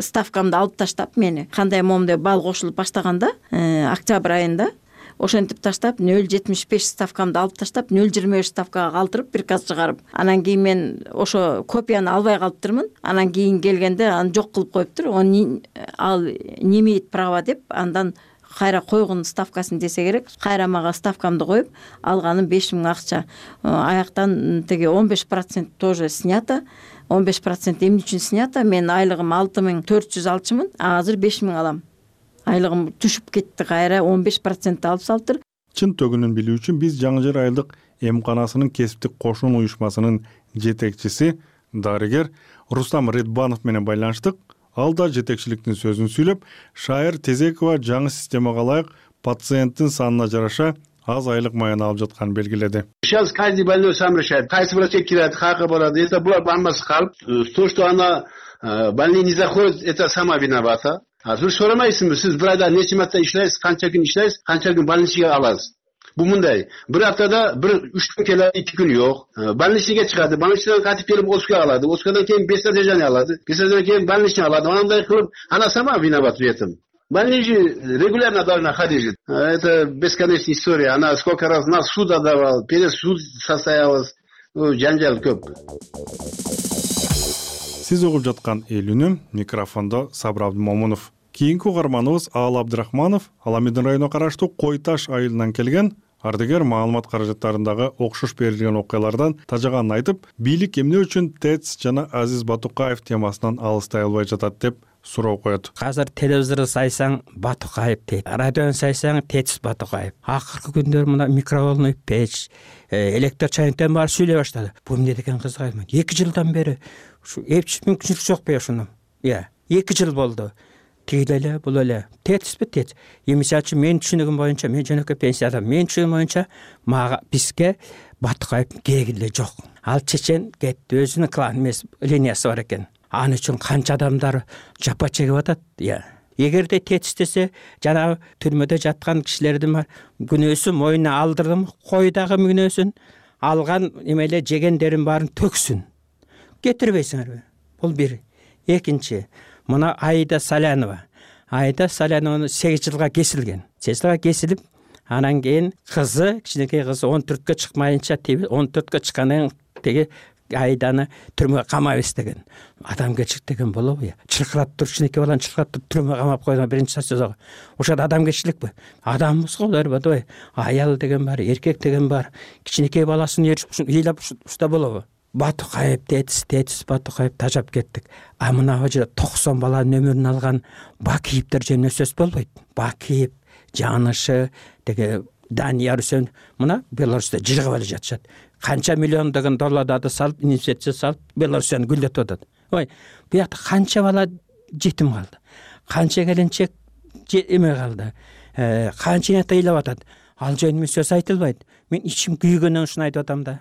Speaker 3: ставкамды алып таштап, мени кандай момундай бал кошулуп баштаганда, октябрь айында ошентип таштап, нөл жетимиш беш ставкамды алып таштап, нөл жыйырма беш ставкага калтырып, приказ чыгарып. Анан кийин мен ошо копияны албай калыптырмын. Анан кийин келгенде аны жок кылып коюптур. Он ал не имеет права деп, андан кайра койгон ставкасын десе керек. Кайра мага ставкамды коюп, алганым беш миң акча. Аяктан теги он беш процент тоже снято. он беш процент эмне үчүн снято? Мен айлыгым алты миң төрт жүз алчумун, а азыр беш миң алам. Айлыгым түшүп кетти, кайра он беш процент алып салыптыр.
Speaker 10: Чын төгүнүн билүү үчүн биз Жаңы Жер айылдык эмканасынын кесиптик кошун уюшмасынын жетекчиси, дарыгер Рустам Редбанов менен байланыштык. Ал да жетекчиликтин сөзүн сүйлөп, Шайыр Тезекова жаңы системага ылайык пациенттин санына жараша аз айлык маяны алып жатканын белгиледи.
Speaker 14: Сейчас каждый больной сам решает, кайсы врачка кирет, кайка барат. Если булар бармасы калып, то, что она больные не заходит, это сама виновата. бир сурамайсызбы, сиз бир айда нече марта иштейсиз, канча күн иштейсиз, канча күн больничныйга аласыз. Бул мындай, бир аптада бир үч күн келет, эки күн жок. Больничныйга чыгат, больничныйдан кайтып келип отпускага алады, отпускадан кийин без содержания алады, без содержания кийин больничный алады. Андай кылып, она сама виновата в этом. Больничный регулярно должна ходить. Это бесконечная история. Она сколько раз нас суд отдавал, перед суд состоялась. Жанжал көп.
Speaker 10: Сиз угуп жаткан эл үнү, микрофондо Сабыр Абдымомунов. Кийинки угарманыбыз Аал Абдрахманов, Аламедин районуна караштуу Кой Таш айылынан келген. Ардыгер маалымат каражаттарындагы окшош берилген окуялардан тажаганын айтып, бийлик эмне үчүн ТЭЦ жана Азиз Батукаев темасынан алыстай албай жатат деп суроо коет.
Speaker 5: Азыр телевизорду сайсаң Батукаев дейт, радиону сайсаң ТЭЦ Батукаев. Акыркы күндөр мына микроволновый печ, электр чайниктен баары сүйлөй баштады. Бул эмне деген кызык. эки жылдан бери ушу эч мүмкүнчүлүк жок бешуну. Иә, эки жыл болду. Тигил эле, бул эле. ТЭЦпи ТЭЦ. Мисалы үчүн мен түшүнүгүм боюнча, мен жөнөкөй пенсияда, мен түшүнүгүм боюнча мага бизге Батукаев кереги эле жок. Ал чечен кетти, өзүнүн клан эмес линиясы бар экен. Аны үчүн канча адамдар жапа чегип атат. Иә. Эгерде ТЭЦ десе, жанагы түрмөдө жаткан кишилердин күнөөсүн мойнуна алдырдым, койдагы күнөөсүн алган эмеле жегендерин баарын төксүн. Кетирбейсиңерби? Бул бир. Экинчи, мына Айда Салянова. Айда Салянова сегиз жылга кесилген. сегиз жылга кесилип, анан кийин кызы, кичинекей кызы он төрткө чыкмайынча, он төрткө чыккандан теги Айданы түрмөгө камайбыз деген. Адамгерчилик деген болобу? Чыркырап туруп, кичинекей баланы чыркырап туруп түрмөгө камап койгон биринчи сөзөгө. Ошол адамгерчиликпи? Адамбыз го булар, бадыбай. Аял деген бар, эркек деген бар. Кичинекей баласын ээрчип ыйлап ушта болобу? Батукаев ТЭЦ, ТЭЦ Батукаев тажап кеттик. А мына жерде токсон баланын өмүрүн алган Бакиевдер жөнүндө сөз болбойт. Бакиев, Жанышы, деге Данияр Үсен мына Беларуста жыргап эле жатышат. Канча миллиондогон долларды салып, инвестиция салып, Беларусияны гүлдөтүп атат. Ой, бу жакта канча бала жетим калды. Канча келинчек эме калды. Канча ыйлап атат. Ал жөнүндө сөз айтылбайт. Мен ичим күйгөндөн ушуну айтып атам да.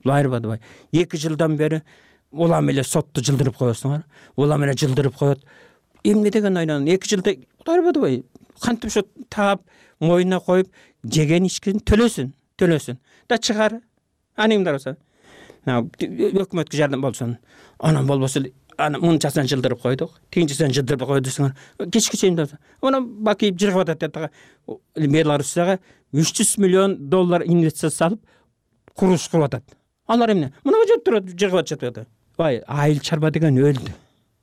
Speaker 5: Булар бадыбай. эки жылдан бери улам эле сотту жылдырып коесуңар. Улам эле жылдырып коет. Эмне деген ойнон? эки жылда булар бадыбай. Кантип ошо таап, мойнуна коюп, жеген ичкен төлөсүн, төлөсүн. Да чыгар. Анымдар болсо. Өкмөткө жардам болсун. Анан болбосо аны мынчасын жылдырып койдук. Тигинчисин жылдырып койдусуңар. Кечки чейин. Аны Бакиев жыргап атат деп. Беларусияга үч жүз миллион доллар инвестиция салып, курулуш кылып атат. Алар эмне? Мына жерде турат, жыргап жатат. Бай, айыл чарба деген өлдү.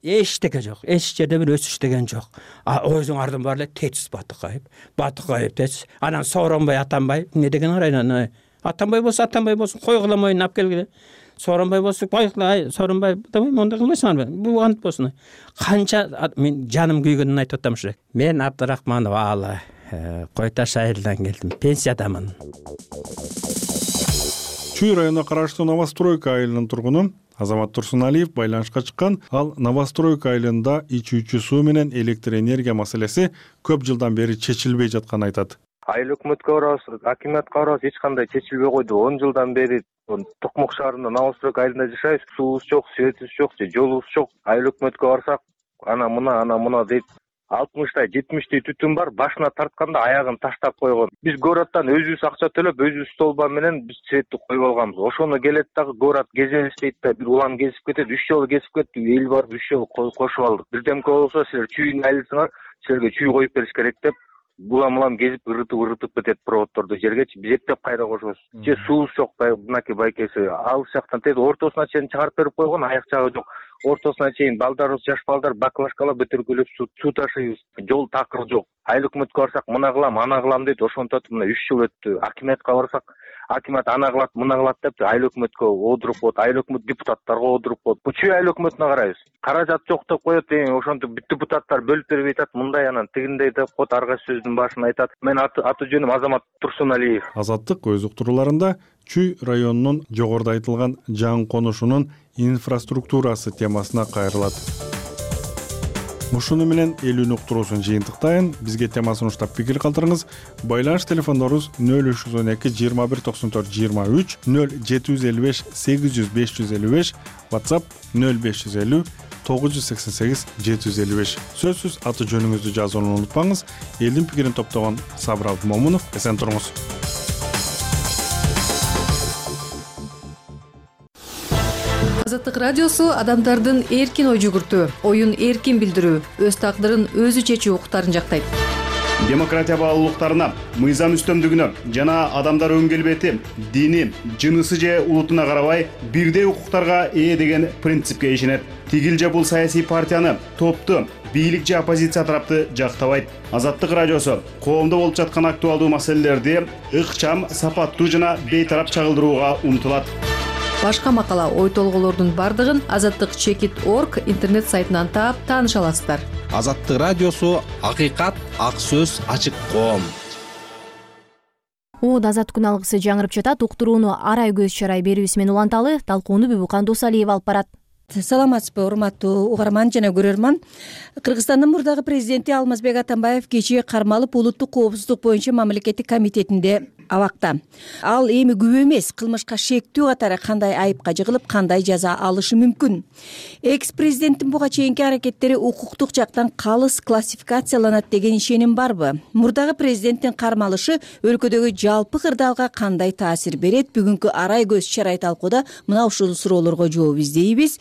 Speaker 5: Эчтеке жок. Эч жерде бир өсүш деген жок. А өзүңардын баары эле ТЭЦ Батукаев. Батукаев ТЭЦ. Анан Сооронбай Атамбай эмне деген арайнан? Атамбай болсо Атамбай болсун, койгула мойнуна алып келгиле. Сооронбай болсо койгула, Сооронбай, мондай кылбайсыңарбы? Бул ант болсун. Канча мен жаным күйгөнүн айтып атам ушул. Мен Абдрахманов Аалы, Кой Таш айылынан келдим. Пенсиядамын.
Speaker 10: Чүй районуна караштуу Новостройка айылынын тургуну Азамат Турсуналиев байланышка чыккан. Ал Новостройка айылында ичүүчү суу менен электр энергия маселеси көп жылдан бери чечилбей жатканын айтат.
Speaker 6: Айыл өкмөткө барабыз, акимиятка барабыз, эч кандай чечилбей койду. он жылдан бери Токмок шаарында Новостройка айылында жашайбыз. Суубуз жок, светибиз жок, жолубуз жок. Айыл өкмөткө барсак, ана мына, ана мына дейт. алтымыштай, жетимиштей түтүн бар, башына тартканда аягын таштап койгон. Биз городдон өзүбүз акча төлөп, өзүбүз столба менен биз светти коюп алганбыз. Ошону келет дагы город кезебиз дейт да, бир улам кесип кетет, үч жолу кесип кетти, эл барып үч жолу кошуп алдык. Бирдемке болсо силер чүйдүн айлысыңар, силерге чүй коюп бериш керек деп, улам улам кесип ырытып ырытып кетет проводдорду жергечи, биз эптеп кайра кошобуз. Же суубуз жок, мынакей байкеси, алыс жактан тез ортосуна чейин чыгарып берип койгон, аяк жагы жок. Ортосуна чейин балдарыбыз, жаш балдар баклажкалап бөтөркөлөп суу ташыйбыз. Жол такыр жок. Айыл өкмөткө барсак, мына кылам, ана кылам дейт. Ошонтип мына үч жыл өттү. Акимиятка барсак, акимият ана кылат, мына кылат деп айыл өкмөткө одуруп коет. Айыл өкмөт депутаттарга одуруп коет. Бу чүй айыл өкмөтүнө карайбыз. Каражат жок деп коет, ошентип депутаттар бөлүп бербей атат, мындай анан тигиндей деп коет, ар кайсы сөздүн башын айтат. Мен аты жөнүм Азамат Турсуналиев.
Speaker 10: Азаттык өз уктурууларында Чүй районунун жогоруда айтылган жаңы конушунун инфраструктурасы темасына кайрылат. Ушуну менен эл үн уктуруусун жыйынтыктайын. Бизге темасын уштап пикир калтырыңыз. Байланыш телефондорубуз нөл үч жүз он эки жыйырма бир токсон төрт жыйырма үч, нөл жети жүз элүү беш сегиз жүз беш жүз элүү беш, WhatsApp нөл беш жүз элүү тогуз жүз сексен сегиз жети жүз элүү беш. Сөзсүз аты жөнүңүздү жазууну унутпаңыз. Элдин пикирин топтогон Сабыр Абдымомунов. Эсен туруңуз.
Speaker 22: Азаттык радиосу адамдардын эркин ой жүгүртүү, оюн эркин билдирүү, өз тагдырын өзү чечүү укуктарын жактайт.
Speaker 7: Демократия баалуулуктарына, мыйзам үстөмдүгүнө жана адамдар өң келбети, дини, жынысы же улутуна карабай бирдей укуктарга ээ деген принципке ишенет. Тигил же бул саясий партияны, топту, бийлик же оппозиция тарапты жактабайт. Азаттык радиосу коомдо болуп жаткан актуалдуу маселелерди ыкчам, сапаттуу жана бейтарап чагылдырууга умтулат.
Speaker 22: Башка макала, ой толголордун бардыгын азаттык чекит орг интернет сайтынан таап тааныша аласыздар.
Speaker 8: Азаттык радиосу акыйкат, ак сөз, ачык коом.
Speaker 1: Уут азат күн алгысы жаңырып жатат. Уктурууну арай көз чарай берүүсү менен уланталы. Талкууну Бүбүкан Досалиев алып барат.
Speaker 9: Саламатсызбы, урматтуу угарман жана көрөрман. Кыргызстандын мурдагы президенти Алмазбек Атамбаев кечээ кармалып улуттук коопсуздук боюнча мамлекеттик комитетинде абакта. Ал эми күбө эмес, кылмышка шектүү катары кандай айыпка жыгылып, кандай жаза алышы мүмкүн. Экс-президенттин буга чейинки аракеттери укуктук жактан калыс классификацияланат деген ишеним барбы? Мурдагы президенттин кармалышы өлкөдөгү жалпы кырдаалга кандай таасир берет? Бүгүнкү арай көз чарай талкууда мына ушул суроолорго жооп издейбиз.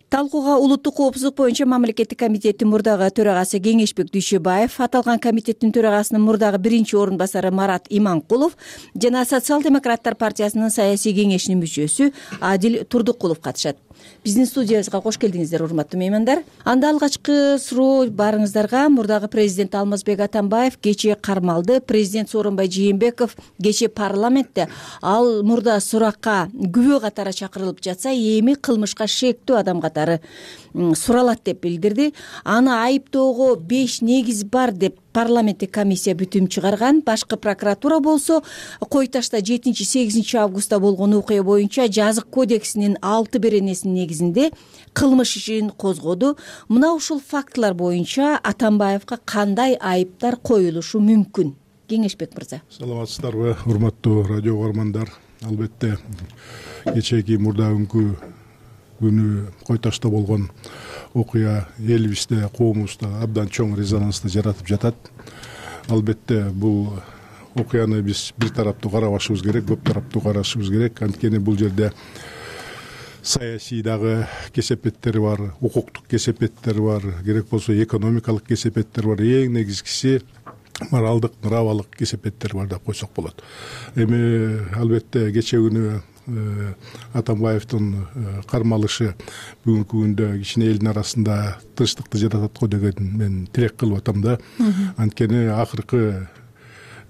Speaker 9: Талкууга улуттук коопсуздук боюнча мамлекеттик комитеттин мурдагы төрагасы Кеңешбек Дүйшөбаев, аталган комитеттин төрагасынын мурдагы биринчи орун басары Марат Иманкулов жана Социал-демократтар партиясынын саясий кеңешинин мүчөсү Адил Турдукулов катышат. Биздин студиябызга кош келдиңиздер, урматтуу меймандар. Анда алгачкы суроо барыңыздарга. Мурдагы президент Алмазбек Атамбаев кечээ кармалды. Президент Сооронбай Жээнбеков кечээ парламентте ал мурда суракка күбө катары чакырылып жатса, эми кылмышка шектүү адам катары суралат деп билдирди. Аны айыптоого беш негиз бар деп парламенттик комиссия бүтүм чыгарган. Башкы прокуратура болсо кой ташта жетинчи сегизинчи августта болгон окуя боюнча жазык кодексинин алты беренесинин негизинде кылмыш ишин козгоду. Мына ушул фактылар боюнча Атамбаевга кандай айыптар коюлушу мүмкүн? Кеңешбек мырза.
Speaker 12: Саламатсыздарбы, урматтуу радио угармандар. Албетте кечээки мурда күнгү күнү кой ташта болгон окуя элибизде, коомубузда абдан чоң резонансты жаратып жатат. Албетте бул окуяны биз бир тараптуу карабашыбыз керек, көп тараптуу карашыбыз керек. Анткени бул жерде саясий дагы кесепеттери бар, укуктук кесепеттери бар, керек болсо экономикалык кесепеттер бар. Эң негизгиси моралдык, нравалык кесепеттер бар деп койсок болот. Эми албетте кечээ күнү Атамбаевдин кармалышы бүгүнкү күндө кичине элдин арасында тынчтыкты жаратат го деген мен тилек кылып атам да. Анткени акыркы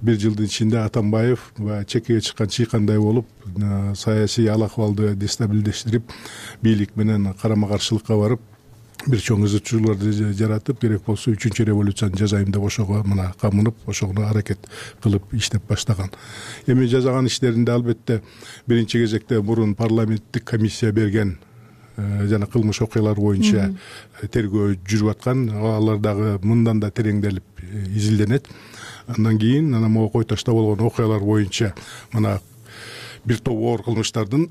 Speaker 12: бир жылдын ичинде Атамбаев чекеге чыккан чыйкандай болуп, саясий ал акыбалды дестабилдештирип, бийлик менен карама каршылыкка барып, бир чоң ызычууларды жаратып, керек болсо үчүнчү революцияны жасайм деп ошого мына камынып, ошого аракет кылып иштеп баштаган. Эми жасаган иштеринде албетте биринчи кезекте мурун парламенттик комиссия берген жана кылмыш окуялар боюнча тергөө жүрүп аткан, алар дагы мындан да тереңделип изилденет. Андан кийин анан могу кой ташта болгон окуялар боюнча мына бир топ оор кылмыштардын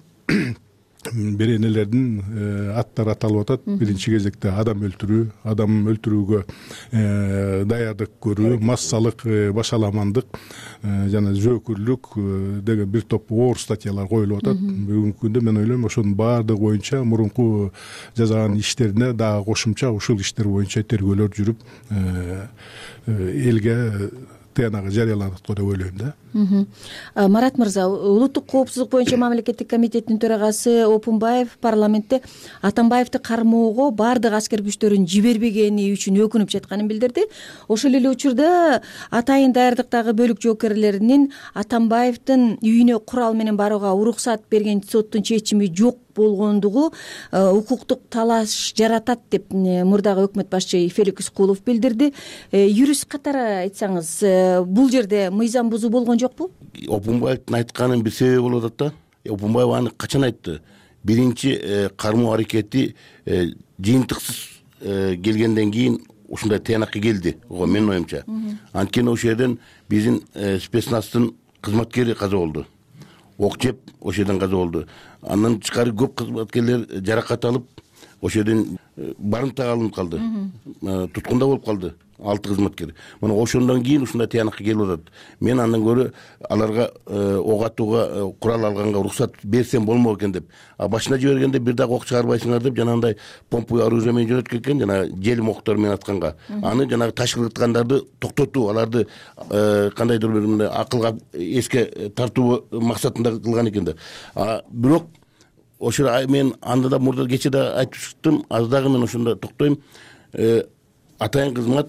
Speaker 12: беренелердин аттары аталып атат. Биринчи кезекте адам өлтүрүү, адам өлтүрүүгө даярдык көрүү, массалык башаламандык жана зөөкүрлүк деген бир топ оор статьялар коюлуп атат. Бүгүнкү күндө мен ойлойм, ошонун баардыгы боюнча мурунку жасаган иштерине дагы кошумча ушул иштер боюнча тергөөлөр жүрүп, элге тыянагы жарыяланат го деп ойлойм да.
Speaker 9: Марат мырза, улуттук коопсуздук боюнча мамлекеттик комитеттин төрагасы Опунбаев парламентте Атамбаевди кармоого баардык аскер күчтөрүн жибербегени үчүн өкүнүп жатканын билдирди. Ошол эле учурда атайын даярдыктагы бөлүк жоокерлеринин Атамбаевдин үйүнө курал менен барууга уруксат берген соттун чечими жок болгондугу укуктук талаш жаратат деп мурдагы өкмөт башчы Феликс Кулов билдирди. Юрист катары айтсаңыз, бул жерде мыйзам бузуу болгон жокпу?
Speaker 25: Опунбаевдин айтканын бир себеби болуп атат да. Опунбаев аны качан айтты? Биринчи кармоо аракети жыйынтыксыз келгенден кийин ушундай тыянакка келди, ого менин оюмча. Анткени ошол жерден биздин спецназтын кызматкери каза болду. Ок жеп ошол жерден каза болду. Андан тышкары көп кызматкерлер жаракат алып, ошол жерден барымтага алынып калды, туткунда болуп калды алты кызматкер. Мына ошондон кийин ушундай тыянакка келип атат. Мен андан көрө аларга ок атууга курал алганга уруксат берсем болмок экен деп. А башына жибергенде бир дагы ок чыгарбайсыңар деп жанагындай помповый оружие менен жөнөткөн экен, жана желим октор менен атканга. Аны жанагы таш кыргыткандарды токтотуу, аларды кандайдыр бир мындай акылга эске тартуу максатында кылган экен да. А бирок ошо мен анда да мурда кечээ да айтып чыктым, азыр дагы мен ошондо токтойм. Атайын кызмат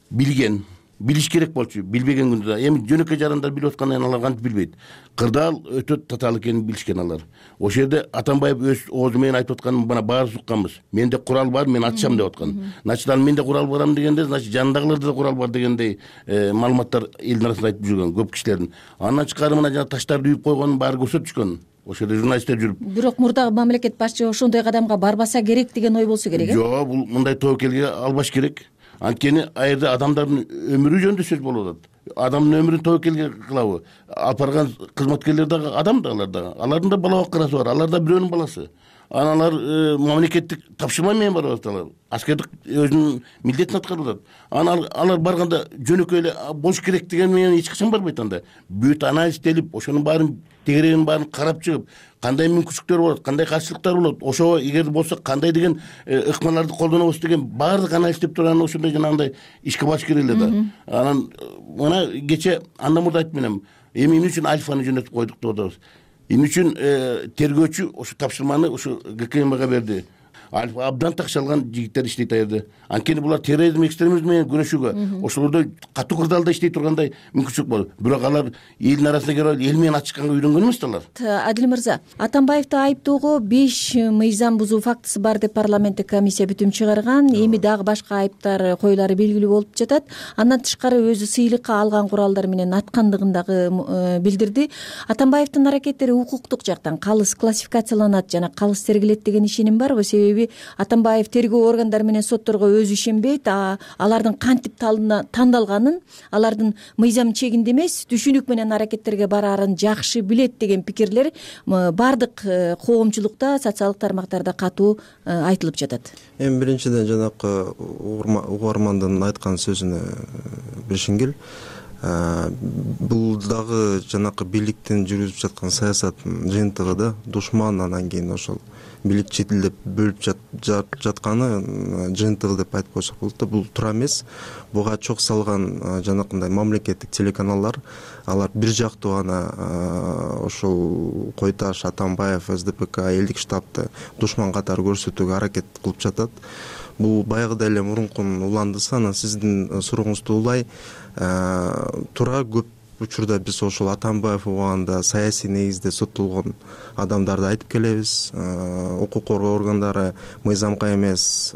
Speaker 25: билген, билиш керек болчу, билбеген күндө да. Эми жөнөкөй жарандар билип аткандан алар кантип билбейт. Кырдаал өтө татаал экенин билишкен алар. Ошол жерде Атамбаев өз оозу менен айтып атканын мына баарыбыз укканбыз. Менде курал бар, мен атышам деп аткан. Значит, ал менде курал барам дегенде, значит, жанындагыларда да курал бар дегендей маалыматтар элдин арасында айтып жүргөн көп кишилердин. Андан тышкары мына жана таштарды үйүп койгонун баары көрсөтүшкөн. Ошол жерде журналисттер жүрүп.
Speaker 9: Бирок мурдагы мамлекет башчы ошондой кадамга барбаса керек деген ой болсо керек э?
Speaker 25: Жок, бул мындай тобокелге албаш керек. Анткени ал жерде адамдардын өмүрү жөнүндө сөз болуп атат. Адамдын өмүрүн тобокелге кылабы? Алып барган кызматкерлер дагы адам да, алар да. Алардын да бала баккарасы бар, алар да бирөөнүн баласы. Аналар мамлекеттик тапшырма менен барып аталар. Аскердик өзүнүн милдетин аткарып атат. Анан алар барганда жөнөкөй эле болуш керек деген менен эч качан барбайт анда. Бүт анализделип, ошонун баарын тегерегинин баарын карап чыгып, кандай мүмкүнчүлүктөр болот, кандай каршылыктар болот, ошого эгер болсо кандай деген ыкмаларды колдонобуз деген баардык анализдеп туруп анан ошондой жанагындай ишке баш керек эле да. Анан мына кечээ андан мурда айтып менем, эми эмне үчүн Альфаны жөнөтүп койдук деп атабыз. Эмне үчүн тергөөчү ошо тапшырманы ошо ГКМга берди. Альфа абдан такшалган жигиттер иштейт ал жерде. Анткени булар терроризм, экстремизм менен күрөшүүгө, ошолордо катуу кырдаалда иштей тургандай мүмкүнчүлүк бар. Бирок алар элдин арасына кирип эл менен ачышканга үйрөнгөн эмес да алар.
Speaker 9: Адил мырза, Атамбаевди айыптоого беш мыйзам бузуу фактысы бар деп парламенттик комиссия бүтүм чыгарган. Эми дагы башка айыптар коюлары белгилүү болуп жатат. Андан тышкары өзү сыйлыкка алган куралдар менен аткандыгын дагы билдирди. Атамбаевдин аракеттери укуктук жактан калыс классификацияланат жана калыс тергелет деген ишеним барбы? Себеби Атамбаев тергөө органдары менен сотторго өзү ишенбейт, алардын кантип тандалганын, алардын мыйзам чегинде эмес, түшүнүк менен аракеттерге бараарын жакшы билет деген пикирлер баардык коомчулукта, социалдык тармактарда катуу айтылып жатат.
Speaker 13: Эми биринчиден жанакы угармандын айткан сөзүнө бешингил. Бул дагы жанакы бийликтин жүргүзүп жаткан саясат жыйынтыгы да, душман анан кийин ошол бийлик четилдеп бөлүп жатканы жыйынтыгы деп айтып койсок болот да. Бул туура эмес. Буга чок салган жанакындай мамлекеттик телеканалдар, алар бир жактуу гана ошол Койташ, Атамбаев, СДПК, элдик штабты душман катары көрсөтүүгө аракет кылып жатат. Бул баягыдай эле мурункунун уландысы. Анан сиздин сурооңузду улай, туура көп учурда биз ошол Атамбаев убагында саясий негизде соттолгон адамдарды айтып келебиз. Укук коргоо органдары мыйзамга эмес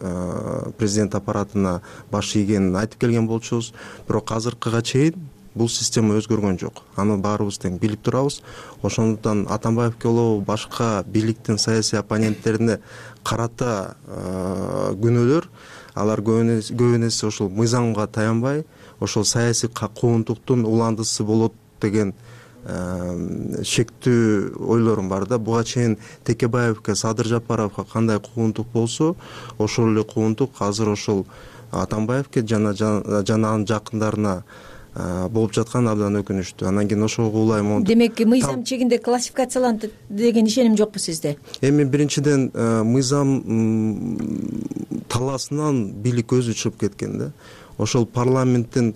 Speaker 13: президент аппаратына баш ийгенин айтып келген болчубуз. Бирок азыркыга чейин бул система өзгөргөн жок. Аны баарыбыз тең билип турабыз. Ошондуктан Атамбаевке болобу башка бийликтин саясий оппоненттерине карата күнөөлөр, алар көбүн эсе ошол мыйзамга таянбай, ошол саясий куугунтуктун уландысы болот деген шектүү ойлорум бар да. Буга чейин Текебаевке, Садыр Жапаровго кандай куугунтук болсо, ошол эле куугунтук азыр ошол Атамбаевке жана жанагынын жакындарына болуп жаткан абдан өкүнүчтүү. Анан кийин ошого улайм.
Speaker 9: Демек, мыйзам чегинде классификацияланды деген ишеним жокпу сизде?
Speaker 13: Эми биринчиден мыйзам талаасынан бийлик өзү чыгып кеткен да. Ошол парламенттин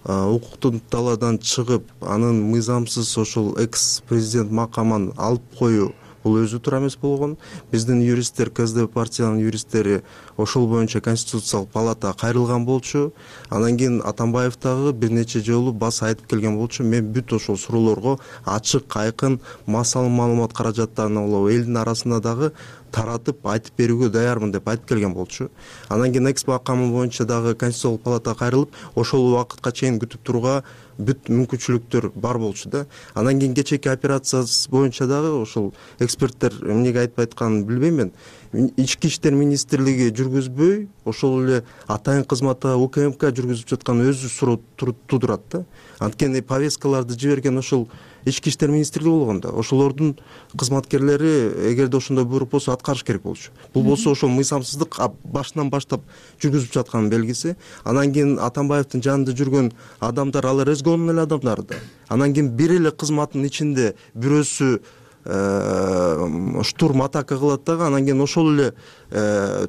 Speaker 13: укуктун талаадан чыгып, анын мыйзамсыз ошол экс президент макамын алып коюу бул өзү туура эмес болгон. Биздин юристтер, КСДП партиянын юристтери ошол боюнча Конституциялык палатага кайрылган болчу. Анан кийин Атамбаев дагы бир нече жолу баса айтып келген болчу. Мен бүт ошол суроолорго ачык, айкын, массалуу маалымат каражаттарына болобу элдин арасында дагы таратып айтып берүүгө даярмын деп айтып келген болчу. Анан кийин экс макамы боюнча дагы Конституциялык палатага кайрылып, ошол убакытка чейин күтүп турууга бүт мүмкүнчүлүктөр бар болчу да. Анан кийин кечээки операциясы боюнча дагы ошол эксперттер эмнеге айтпай атканын билбейм мен. ички иштер министрлиги жүргүзбөй ошол эле атайын кызматта УКМК жүргүзүп жаткан өзү суроо тудурат да. Анткени повесткаларды жиберген ошол ички иштер министрлиги болгон да. Ошолордун кызматкерлери эгерде ошондой буйрук болсо аткарыш керек болчу. Бул болсо ошол мыйзамсыздык башынан баштап жүргүзүп жатканын белгиси. Анан кийин Атамбаевдин жанында жүргөн адамдар алар өзгөнүн эле адамдары да. Анан кийин бир эле кызматтын ичинде бирөөсү штурм атака кылат дагы, анан кийин ошол эле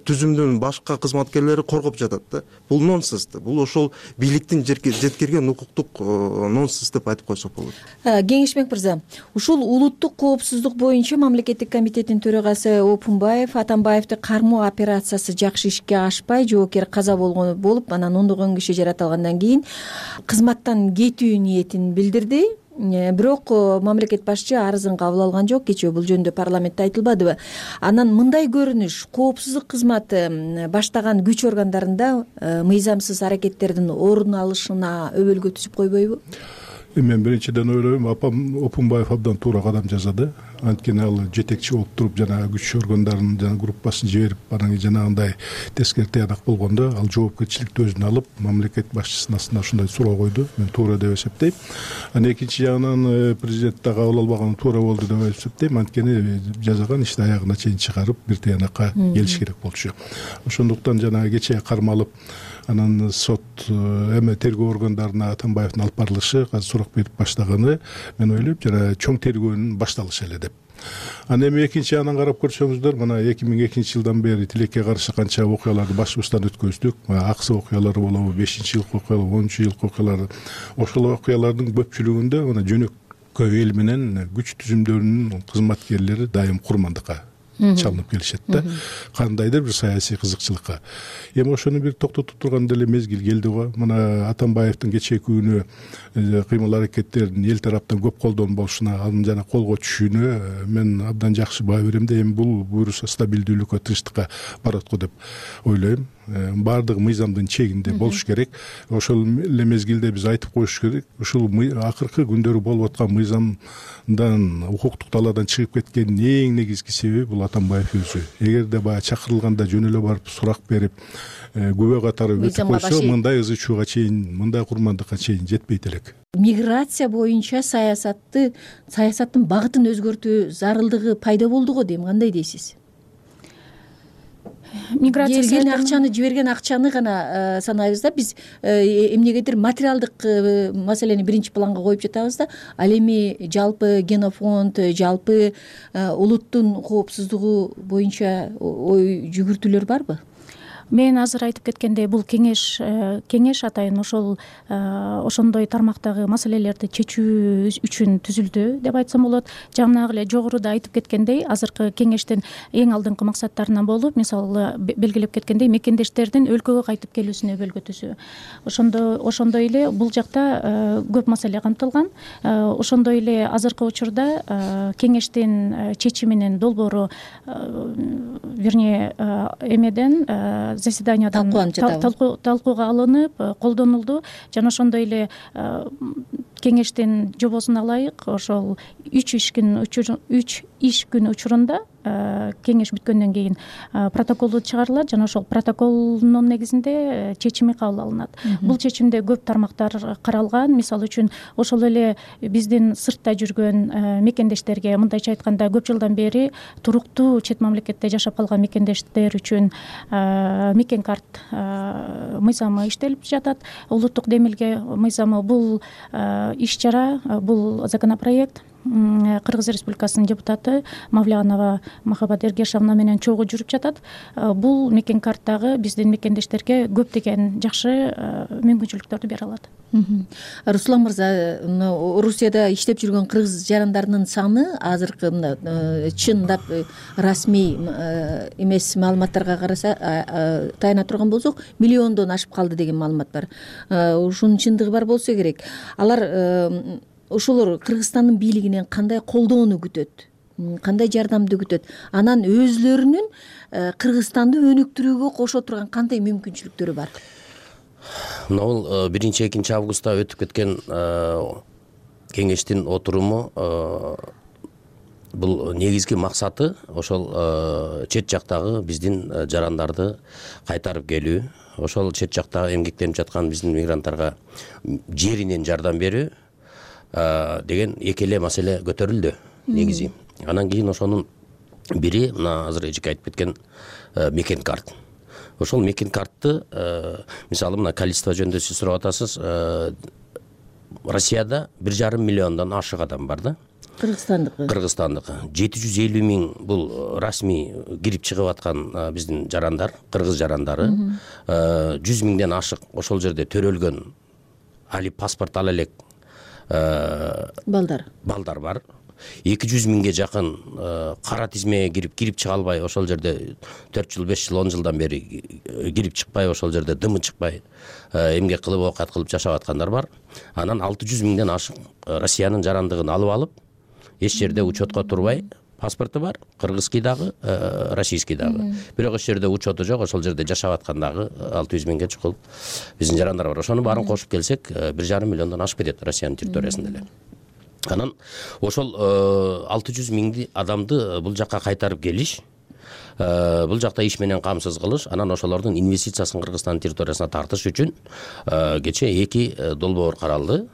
Speaker 13: түзүмдүн башка кызматкерлери коргоп жатат да. Бул нонсенс да. Бул ошол бийликтин жеткирген укуктук нонсенс деп айтып койсок болот.
Speaker 9: Кеңешбек мырза, ушул улуттук коопсуздук боюнча мамлекеттик комитеттин төрагасы Опунбаев Атамбаевди кармоо операциясы жакшы ишке ашпай, жоокер каза болгон болуп, анан ондогон киши жаратылгандан кийин кызматтан кетүү ниетин билдирди. Бирок мамлекет башчы арызын кабыл алган жок. Кечээ бул жөнүндө парламентте айтылбадыбы? Анан мындай көрүнүш коопсуздук кызматы баштаган күч органдарында мыйзамсыз аракеттердин орун алышына өбөлгө түзүп койбойбу?
Speaker 12: Мен биринчиден ойлойм, апам Опунбаев абдан туура кадам жасады. Анткени ал жетекчи болуп туруп жана күч органдарынын жана группасын жиберип, анан жанагындай тескери тыянак болгондо ал жоопкерчиликти өзүнө алып, мамлекет башчысына астына ушундай суроо койду. Мен туура деп эсептейм. Анан экинчи жагынан президент да кабыл албаганы туура болду деп эсептейм. Анткени жазаган ишти аягына чейин чыгарып, бир тыянакка келиш керек болчу. Ошондуктан жана кечээ кармалып, анан сот эме тергөө органдарына Атамбаевдин алып барылышы, азыр сурак берип баштаганы, мен ойлойм, жана чоң тергөөнүн башталышы эле деп. Анан эми экинчи ягынан карап көрсөңүздөр, мына эки миң экинчи жылдан бери тилекке каршы канча окуяларды башыбыздан өткөздүк. Аксы окуялары болобу, бешинчи жылкы окуялар, онунчу жылкы окуялар. Ошол окуялардын көпчүлүгүндө мына жөнөкөй эл менен күч түзүмдөрүнүн кызматкерлери дайым курмандыкка чалынып келишет да, кандайдыр бир саясий кызыкчылыкка. Эми ошону бир токтотуп турган деле мезгил келди го. Мына Атамбаевдин кечээки күнү кыймыл аракеттеринин эл тараптан көп колдонуу болушуна, анын жана колго түшүүнө мен абдан жакшы баа берем да. Эми бул буюрса стабилдүүлүккө, тынчтыкка барат го деп ойлойм. Баардыгы мыйзамдын чегинде болуш керек. Ошол эле мезгилде биз айтып коюш керек, ушул акыркы күндөрү болуп аткан мыйзамдан, укуктук талаадан чыгып кеткендин эң негизги себеби бул Атамбаев өзү. Эгерде баягы чакырылганда жөн эле барып сурак берип, күбө катары өтүп койсо, мындай ызы чууга чейин, мындай курмандыкка чейин жетпейт элек.
Speaker 9: Миграция боюнча саясатты, саясаттын багытын өзгөртүү зарылдыгы пайда болду го дейм. Кандай дейсиз? Миграция келген акчаны, жиберген акчаны гана санайбыз да. Биз эмнегедир материалдык маселени биринчи планга коюп жатабыз да. Ал эми жалпы генофонд, жалпы улуттун коопсуздугу боюнча ой жүгүртүүлөр барбы?
Speaker 15: Мен азыр айтып кеткендей, бул кеңеш кеңеш атайын ошол ошондой тармактагы маселелерди чечүү үчүн түзүлдү деп айтсам болот. Жанагы эле жогоруда айтып кеткендей, азыркы кеңештин эң алдыңкы максаттарынан болуп, мисалы белгилеп кеткендей, мекендештердин өлкөгө кайтып келүүсүнө өбөлгө түзүү. Ошондо ошондой эле бул жакта көп маселе камтылган. Ошондой эле азыркы учурда кеңештин чечиминин долбоору, вернее, эмеден заседаниядан талкууга алынып, колдонулду. Жана ошондой эле кеңештин жобосуна ылайык ошол үч иш күн үч иш күн учурунда кеңеш бүткөндөн кийин протоколу чыгарылат жана ошол протоколдун негизинде чечими кабыл алынат. Бул чечимде көп тармактар каралган. Мисалы үчүн ошол эле биздин сыртта жүргөн мекендештерге, мындайча айтканда, көп жылдан бери туруктуу чет мамлекетте жашап калган мекендештер үчүн мекен карт мыйзамы иштелип жатат. Улуттук демилге мыйзамы бул иш чара, бул законопроект Кыргыз Республикасынын депутаты Мавлянова Махабат Эргешовна менен чогуу жүрүп жатат. Бул мекен карттагы биздин мекендештерге көптөгөн жакшы мүмкүнчүлүктөрдү бере алат.
Speaker 9: Руслан мырза, Орусияда иштеп жүргөн кыргыз жарандарынын саны азыркы чындап расмий эмес маалыматтарга караса, таяна турган болсок, миллиондон ашып калды деген маалымат бар. Ушунун чындыгы бар болсо керек. Алар ошолор Кыргызстандын бийлигинен кандай колдоону күтөт, кандай жардамды күтөт? Анан өзлөрүнүн Кыргызстанды өнүктүрүүгө кошо турган кандай мүмкүнчүлүктөрү бар?
Speaker 16: Мына бул биринчи экинчи августта өтүп кеткен кеңештин отуруму бул негизги максаты ошол чет жактагы биздин жарандарды кайтарып келүү, ошол чет жакта эмгектенип жаткан биздин мигранттарга жеринен жардам берүү деген эки эле маселе көтөрүлдү негизи. Анан кийин ошонун бири мына азыр эжеке айтып кеткен мекен карт. Ошол мекен картты мисалы мына количество жөнүндө сиз сурап атасыз. Россияда бир жарым миллиондон ашык адам бар да.
Speaker 9: Кыргызстандыкы.
Speaker 16: Кыргызстандыкы. жети жүз элүү миң бул расмий кирип чыгып аткан биздин жарандар, кыргыз жарандары. жүз миңден ашык ошол жерде төрөлгөн али паспорт ала элек
Speaker 9: балдар.
Speaker 16: Балдар бар. эки жүз миңге жакын кара тизмеге кирип кирип чыга албай, ошол жерде төрт жыл, беш жыл, он жылдан бери кирип чыкпай, ошол жерде дымы чыкпай, эмгек кылып, оокат кылып жашап аткандар бар. Анан алты жүз миңден ашык Россиянын жарандыгын алып алып, эч жерде учетко турбай, паспорту бар, кыргызский дагы, российский дагы. Бирок эч жерде учету жок, ошол жерде жашап аткан дагы алты жүз миңге чукул биздин жарандар бар. Ошону баарын кошуп келсек, бир жарым миллиондон ашып кетет Россиянын территориясында эле. Анан ошол алты жүз миңди адамды бул жакка кайтарып келиш, бул жакта иш менен камсыз кылыш, анан ошолордун инвестициясын Кыргызстандын территориясына тартыш үчүн кече эки долбоор каралды.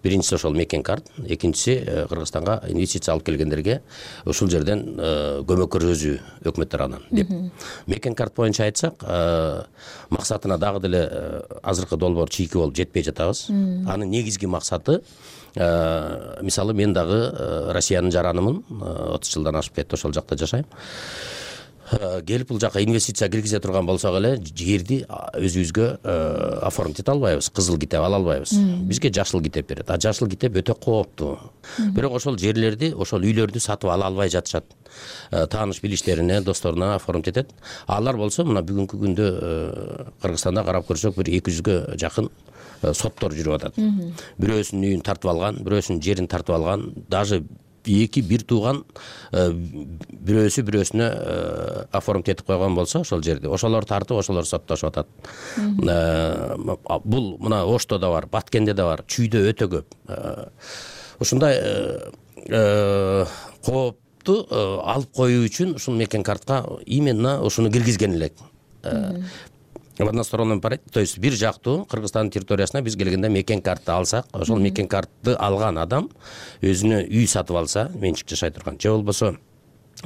Speaker 16: Биринчиси ошол мекен карт, экинчиси Кыргызстанга инвестиция алып келгендерге ушул жерден көмөк көрсөтүү өкмөт тарабынан деп. Мекен карт боюнча айтсак, максатына дагы деле азыркы долбоор чийки болуп жетпей жатабыз. Анын негизги максаты, мисалы мен дагы Россиянын жаранымын, отуз жылдан ашып кетти ошол жакта жашайм. Келип бул жака инвестиция киргизе турган болсок эле, жерди өзүбүзгө оформить эте албайбыз, кызыл китеп ала албайбыз. Бизге жашыл китеп берет. А жашыл китеп өтө кооптуу. Бирок ошол жерлерди, ошол үйлөрдү сатып ала албай жатышат. Тааныш билиштерине, досторуна оформить этет. Алар болсо мына бүгүнкү күндө Кыргызстанда карап көрсөк, бир эки жүзгө жакын соттор жүрүп атат. Бирөөсүнүн үйүн тартып алган, бирөөсүнүн жерин тартып алган, даже эки бир тууган бирөөсү бирөөсүнө оформить этип койгон болсо ошол жерди, ошолор тартып, ошолор соттошуп атат. Бул мына Ошто да бар, Баткенде да бар, Чүйдө өтө көп. Ошондой коопту алып коюу үчүн ушул мекен картка именно ушуну киргизген элек. В односторонном порядке, то есть бир жактуу Кыргызстандын территориясына биз келгенде мекен картты алсак, ошол мекен картты алган адам өзүнө үй сатып алса, менчик жашай турган, же болбосо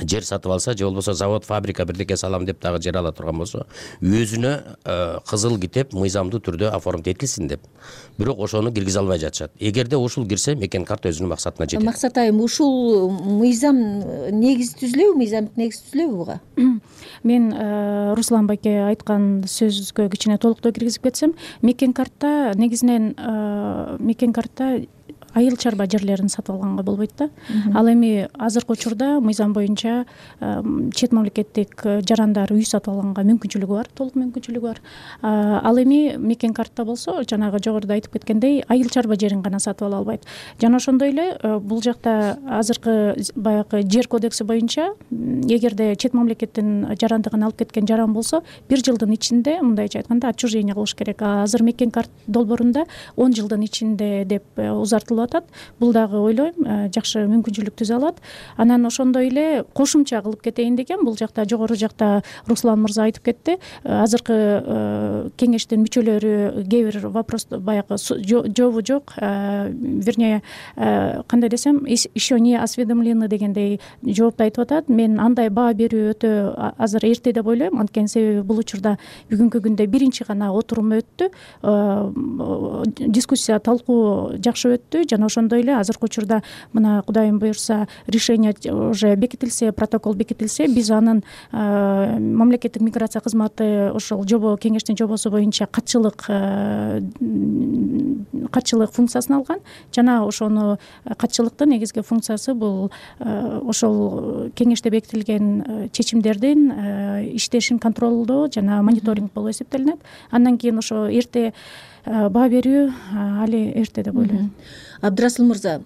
Speaker 16: жер сатып алса, же болбосо завод, фабрика бирдеке салам деп дагы жер ала турган болсо, өзүнө кызыл китеп мыйзамдуу түрдө оформить этилсин деп. Бирок ошону киргизе албай жатышат. Эгерде ушул кирсе, мекен карт өзүнүн максатына жетет.
Speaker 9: Максат айым, ушул мыйзам негизи түзүлөбү, мыйзамдык негизи түзүлөбү буга?
Speaker 15: Мен Руслан байке айткан сөзгө кичине толуктоо киргизип кетсем, мекен картта негизинен мекен картта айыл чарба жерлерин сатып алганга болбойт да. Ал эми азыркы учурда мыйзам боюнча чет мамлекеттик жарандар үй сатып алганга мүмкүнчүлүгү бар, толук мүмкүнчүлүгү бар. Ал эми мекен картта болсо, жанагы жогоруда айтып кеткендей, айыл чарба жерин гана сатып ала албайт. Жана ошондой эле бул жакта азыркы баягы жер кодекси боюнча, эгерде чет мамлекеттин жарандыгын алып кеткен жаран болсо, бир жылдын ичинде, мындайча айтканда, отчуждение кылыш керек. Азыр мекен карт долбоорунда он жылдын ичинде деп узартылып атат. Бул дагы ойлойм жакшы мүмкүнчүлүк түзө алат. Анан ошондой эле кошумча кылып кетейин деген, бул жакта жогору жакта Руслан мырза айтып кетти. Азыркы кеңештин мүчөлөрү кээ бир вопрос баягы жообу жок, вернее, кандай десем, еще не осведомлены дегендей жоопту айтып атат. Мен андай баа берүү өтө азыр эрте деп ойлойм, анткени себеби бул учурда бүгүнкү күндө биринчи гана отурум өттү, дискуссия, талкуу жакшы өттү. Жана ошондой эле азыркы учурда мына Кудайым буйрса решение уже бекитилсе, протокол бекитилсе, биз анын мамлекеттик миграция кызматы ошол жобо, кеңештин жобосу боюнча катчылык катчылык функциясын алган. Жана ошону катчылыктын негизги функциясы бул ошол кеңеште бекитилген чечимдердин иштешин контролдоо жана мониторинг болуп эсептелинет. Андан кийин ошо эрте баа берүү али эрте деп ойлойм.
Speaker 9: Абдрасыл мырза,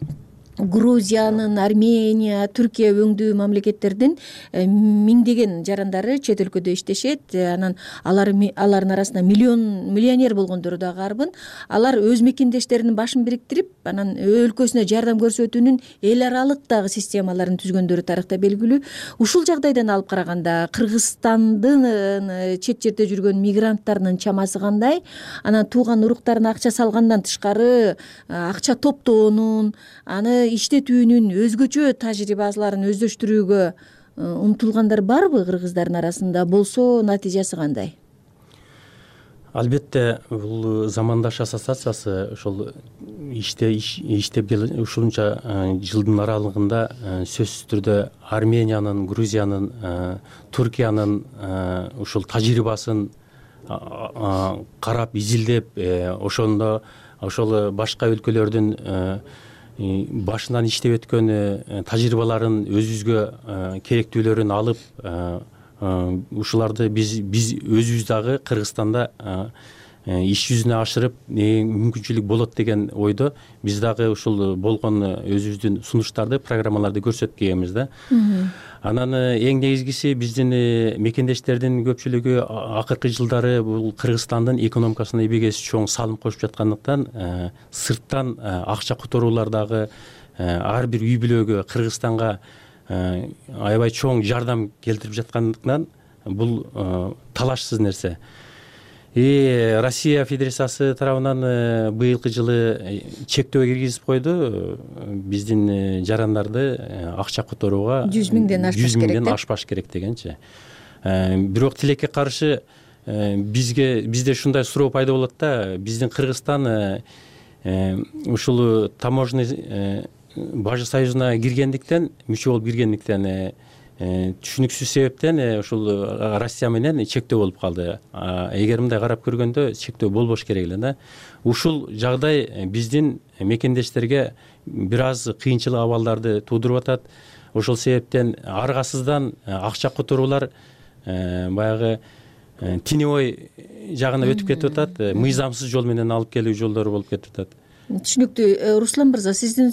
Speaker 9: Грузиянын, Армения, Түркия өңдүү мамлекеттердин миңдеген жарандары чет өлкөдө иштешет. Анан алар алардын арасында миллион миллионер болгондору дагы арбын. Алар өз мекендештеринин башын бириктирип, анан өлкөсүнө жардам көрсөтүүнүн эл аралык дагы системаларын түзгөндөрү тарыхта белгилүү. Ушул жагдайдан алып караганда Кыргызстандын чет жерде жүргөн мигранттарынын чамасы кандай? Анан тууган уруктарына акча салгандан тышкары акча топтоонун, аны иштетүүнүн өзгөчө тажрыйбаларын өздөштүрүүгө умтулгандар барбы кыргыздардын арасында? Болсо натыйжасы кандай?
Speaker 17: Албетте бул замандаш ассоциациясы ошол иште иштеп ушунча жылдын аралыгында сөзсүз түрдө Армениянын, Грузиянын, Түркиянын ушул тажрыйбасын карап, изилдеп, ошондо ошол башка өлкөлөрдүн башынан иштеп өткөн тажрыйбаларын өзүбүзгө керектүүлөрүн алып, ушуларды биз биз өзүбүз дагы Кыргызстанда иш жүзүнө ашырып мүмкүнчүлүк болот деген ойдо биз дагы ушул болгон өзүбүздүн сунуштарды, программаларды көрсөтүп келебиз да. Анан эң негизгиси биздин мекендештердин көпчүлүгү акыркы жылдары бул Кыргызстандын экономикасына эбегейсиз чоң салым кошуп жаткандыктан сырттан акча которуулар дагы ар бир үй бүлөгө Кыргызстанга аябай чоң жардам келтирип жаткандыктан бул талашсыз нерсе. И Россия Федерациясы тарабынан быйылкы жылы чектөө киргизип койду. Биздин жарандарды акча которууга жүз миңден ашпаш керек. жүз миңден ашпаш керек дегенчи. Бирок тилекке каршы бизге бизде ушундай суроо пайда болот да, биздин Кыргызстан ушул таможенный бажы союзуна киргендиктен, мүчө болуп киргендиктен түшүнүксүз себептен ушул Россия менен чектөө болуп калды. Эгер мындай карап көргөндө чектөө болбош керек эле да. Ушул жагдай биздин мекендештерге бир аз кыйынчылык абалдарды туудуруп атат. Ошол себептен аргасыздан акча которуулар баягы теневой жагына өтүп кетип атат, мыйзамсыз жол менен алып келүү жолдору болуп кетип атат.
Speaker 9: Түшүнүктүү. Руслан мырза, сиздин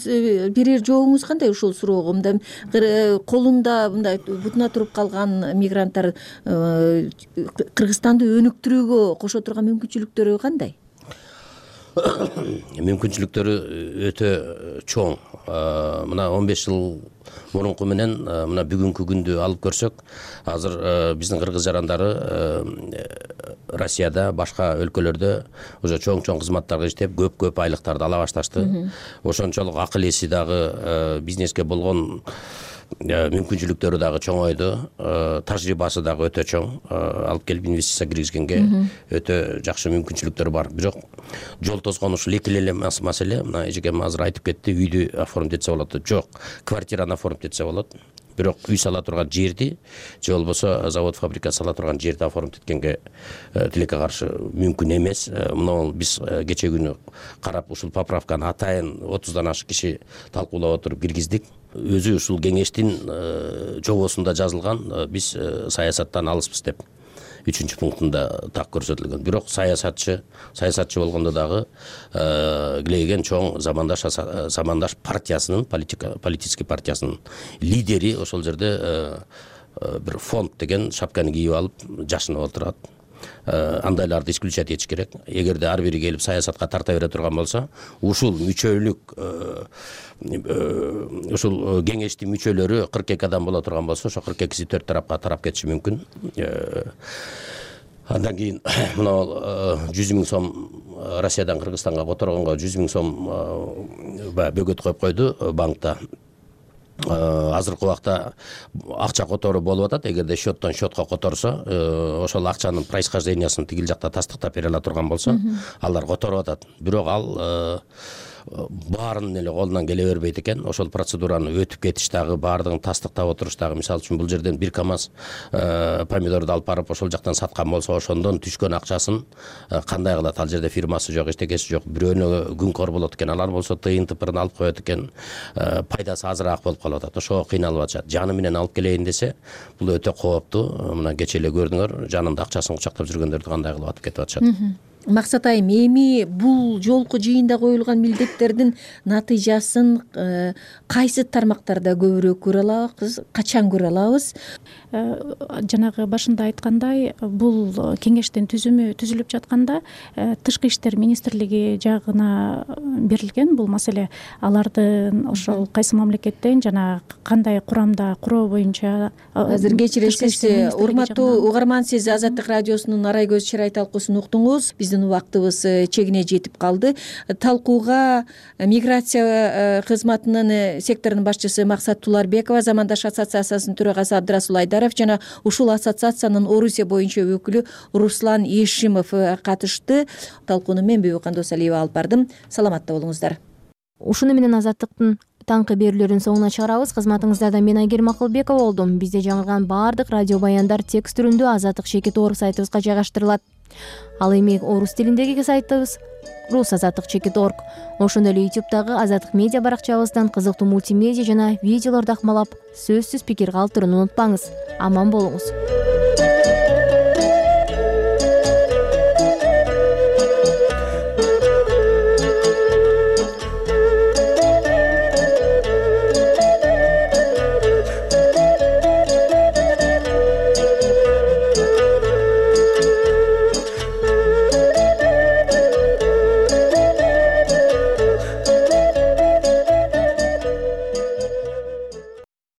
Speaker 9: берер жообуңуз кандай ушул суроого? Мындай колунда мындай бутуна туруп калган мигранттар Кыргызстанды өнүктүрүүгө кошо турган мүмкүнчүлүктөрү кандай?
Speaker 16: Мүмкүнчүлүктөрү өтө чоң. Мына он беш жыл мурунку менен мына бүгүнкү күндү алып көрсөк, азыр биздин кыргыз жарандары Россияда, башка өлкөлөрдө уже чоң-чоң кызматтарга иштеп, көп-көп айлыктарды ала башташты. Ошончолук акыл эси дагы, бизнеске болгон мүмкүнчүлүктөрү дагы чоңойду, тажрыйбасы дагы өтө чоң. Алып келип инвестиция киргизгенге өтө жакшы мүмкүнчүлүктөр бар. Бирок жол тозгон ушул эки эле маселе. Мына эжекем азыр айтып кетти, үйдү оформить этсе болот. Жок, квартираны оформить этсе болот. Бирок үй сала турган жерди, же болбосо завод, фабрика сала турган жерди оформить эткенге тилекке каршы мүмкүн эмес. Мына биз кече күнү карап ушул поправканы атайын отуздан ашык киши талкуулап отуруп киргиздик. Өзү ушул кеңештин жобосунда жазылган, биз саясаттан алыспыз деп үчүнчү пунктунда так көрсөтүлгөн. Бирок саясатчы, саясатчы болгондо дагы килейген чоң замандаш замандаш партиясынын, политический партиясынын лидери ошол жерде бир фонд деген шапканы кийип алып жашынып отурат. Андайларды исключать этиш керек. Эгерде ар бири келип саясатка тарта бере турган болсо, ушул мүчөлүк ушул кеңештин мүчөлөрү кырк эки адам боло турган болсо, ошо кырк экиси төрт тарапка тарап кетиши мүмкүн. Андан кийин мына жүз миң сом Россиядан Кыргызстанга которгонго жүз миң сом бөгөт коюп койду банкта. Азыркы убакта акча которуу болуп атат. Эгерде счеттон счетко которсо, ошол акчанын происхождениясын тигил жакта тастыктап бере ала турган болсо, алар которуп атат. Бирок ал баарын эле колунан келе бербейт экен. Ошол процедураны өтүп кетиш дагы, баардыгын тастыктап отуруш дагы, мисалы үчүн бул жерден бир камаз помидорду алып барып ошол жактан саткан болсо, ошондон түшкөн акчасын кандай кылат? Ал жерде фирмасы жок, эчтекеси жок. Бирөөнө күнкөр болот экен, алар болсо тыйын тыпырын алып коет экен. Пайдасы азыраак болуп калып атат. Ошого кыйналып атышат. Жаны менен алып келейин десе, бул өтө кооптуу. Мына кече эле көрдүңөр, жанында акчасын кучактап жүргөндөрдү кандай кылып атып кетип атышат.
Speaker 9: Максат айым, эми бул жолку жыйында коюлган милдеттердин натыйжасын кайсы тармактарда көбүрөөк көрө алабыз, качан көрө алабыз?
Speaker 15: Жанагы башында айткандай, бул кеңештин түзүмү түзүлүп жатканда Тышкы иштер министрлиги жагына берилген бул маселе. Алардын ошол кайсы мамлекеттен жана кандай курамда куроо боюнча
Speaker 9: азыр кечиресиз, урматтуу угарман, сиз Азаттык радиосунун Арай көз чырай талкуусун уктуңуз. Биздин убактыбыз чегине жетип калды. Талкууга миграция кызматынын секторунун башчысы Максат Туларбекова, Замандаш ассоциациясынын төрагасы Абдрасул Айдаров жана ушул ассоциациянын Орусия боюнча өкүлү Руслан Ешимов катышты. Талкууну мен Бүбү Кандосалиева алып бардым. Саламатта болуңуздар.
Speaker 1: Ушуну менен Азаттыктын таңкы берүүлөрүнүн соңуна чыгарабыз. Кызматыңыздарда мен Айгерим Акылбекова болдум. Бизде жаңырган баардык радио баяндар текст түрүндө Азаттык Чекит Орус сайтыбызга жайгаштырылат. Ал эми орус тилиндеги сайтыбыз рус азаттык чекит точка орг. Ошондой эле ютубтагы Азаттык медиа баракчабыздан кызыктуу мультимедиа жана видеолорду акмалап, сөзсүз пикир калтырууну унутпаңыз. Аман болуңуз.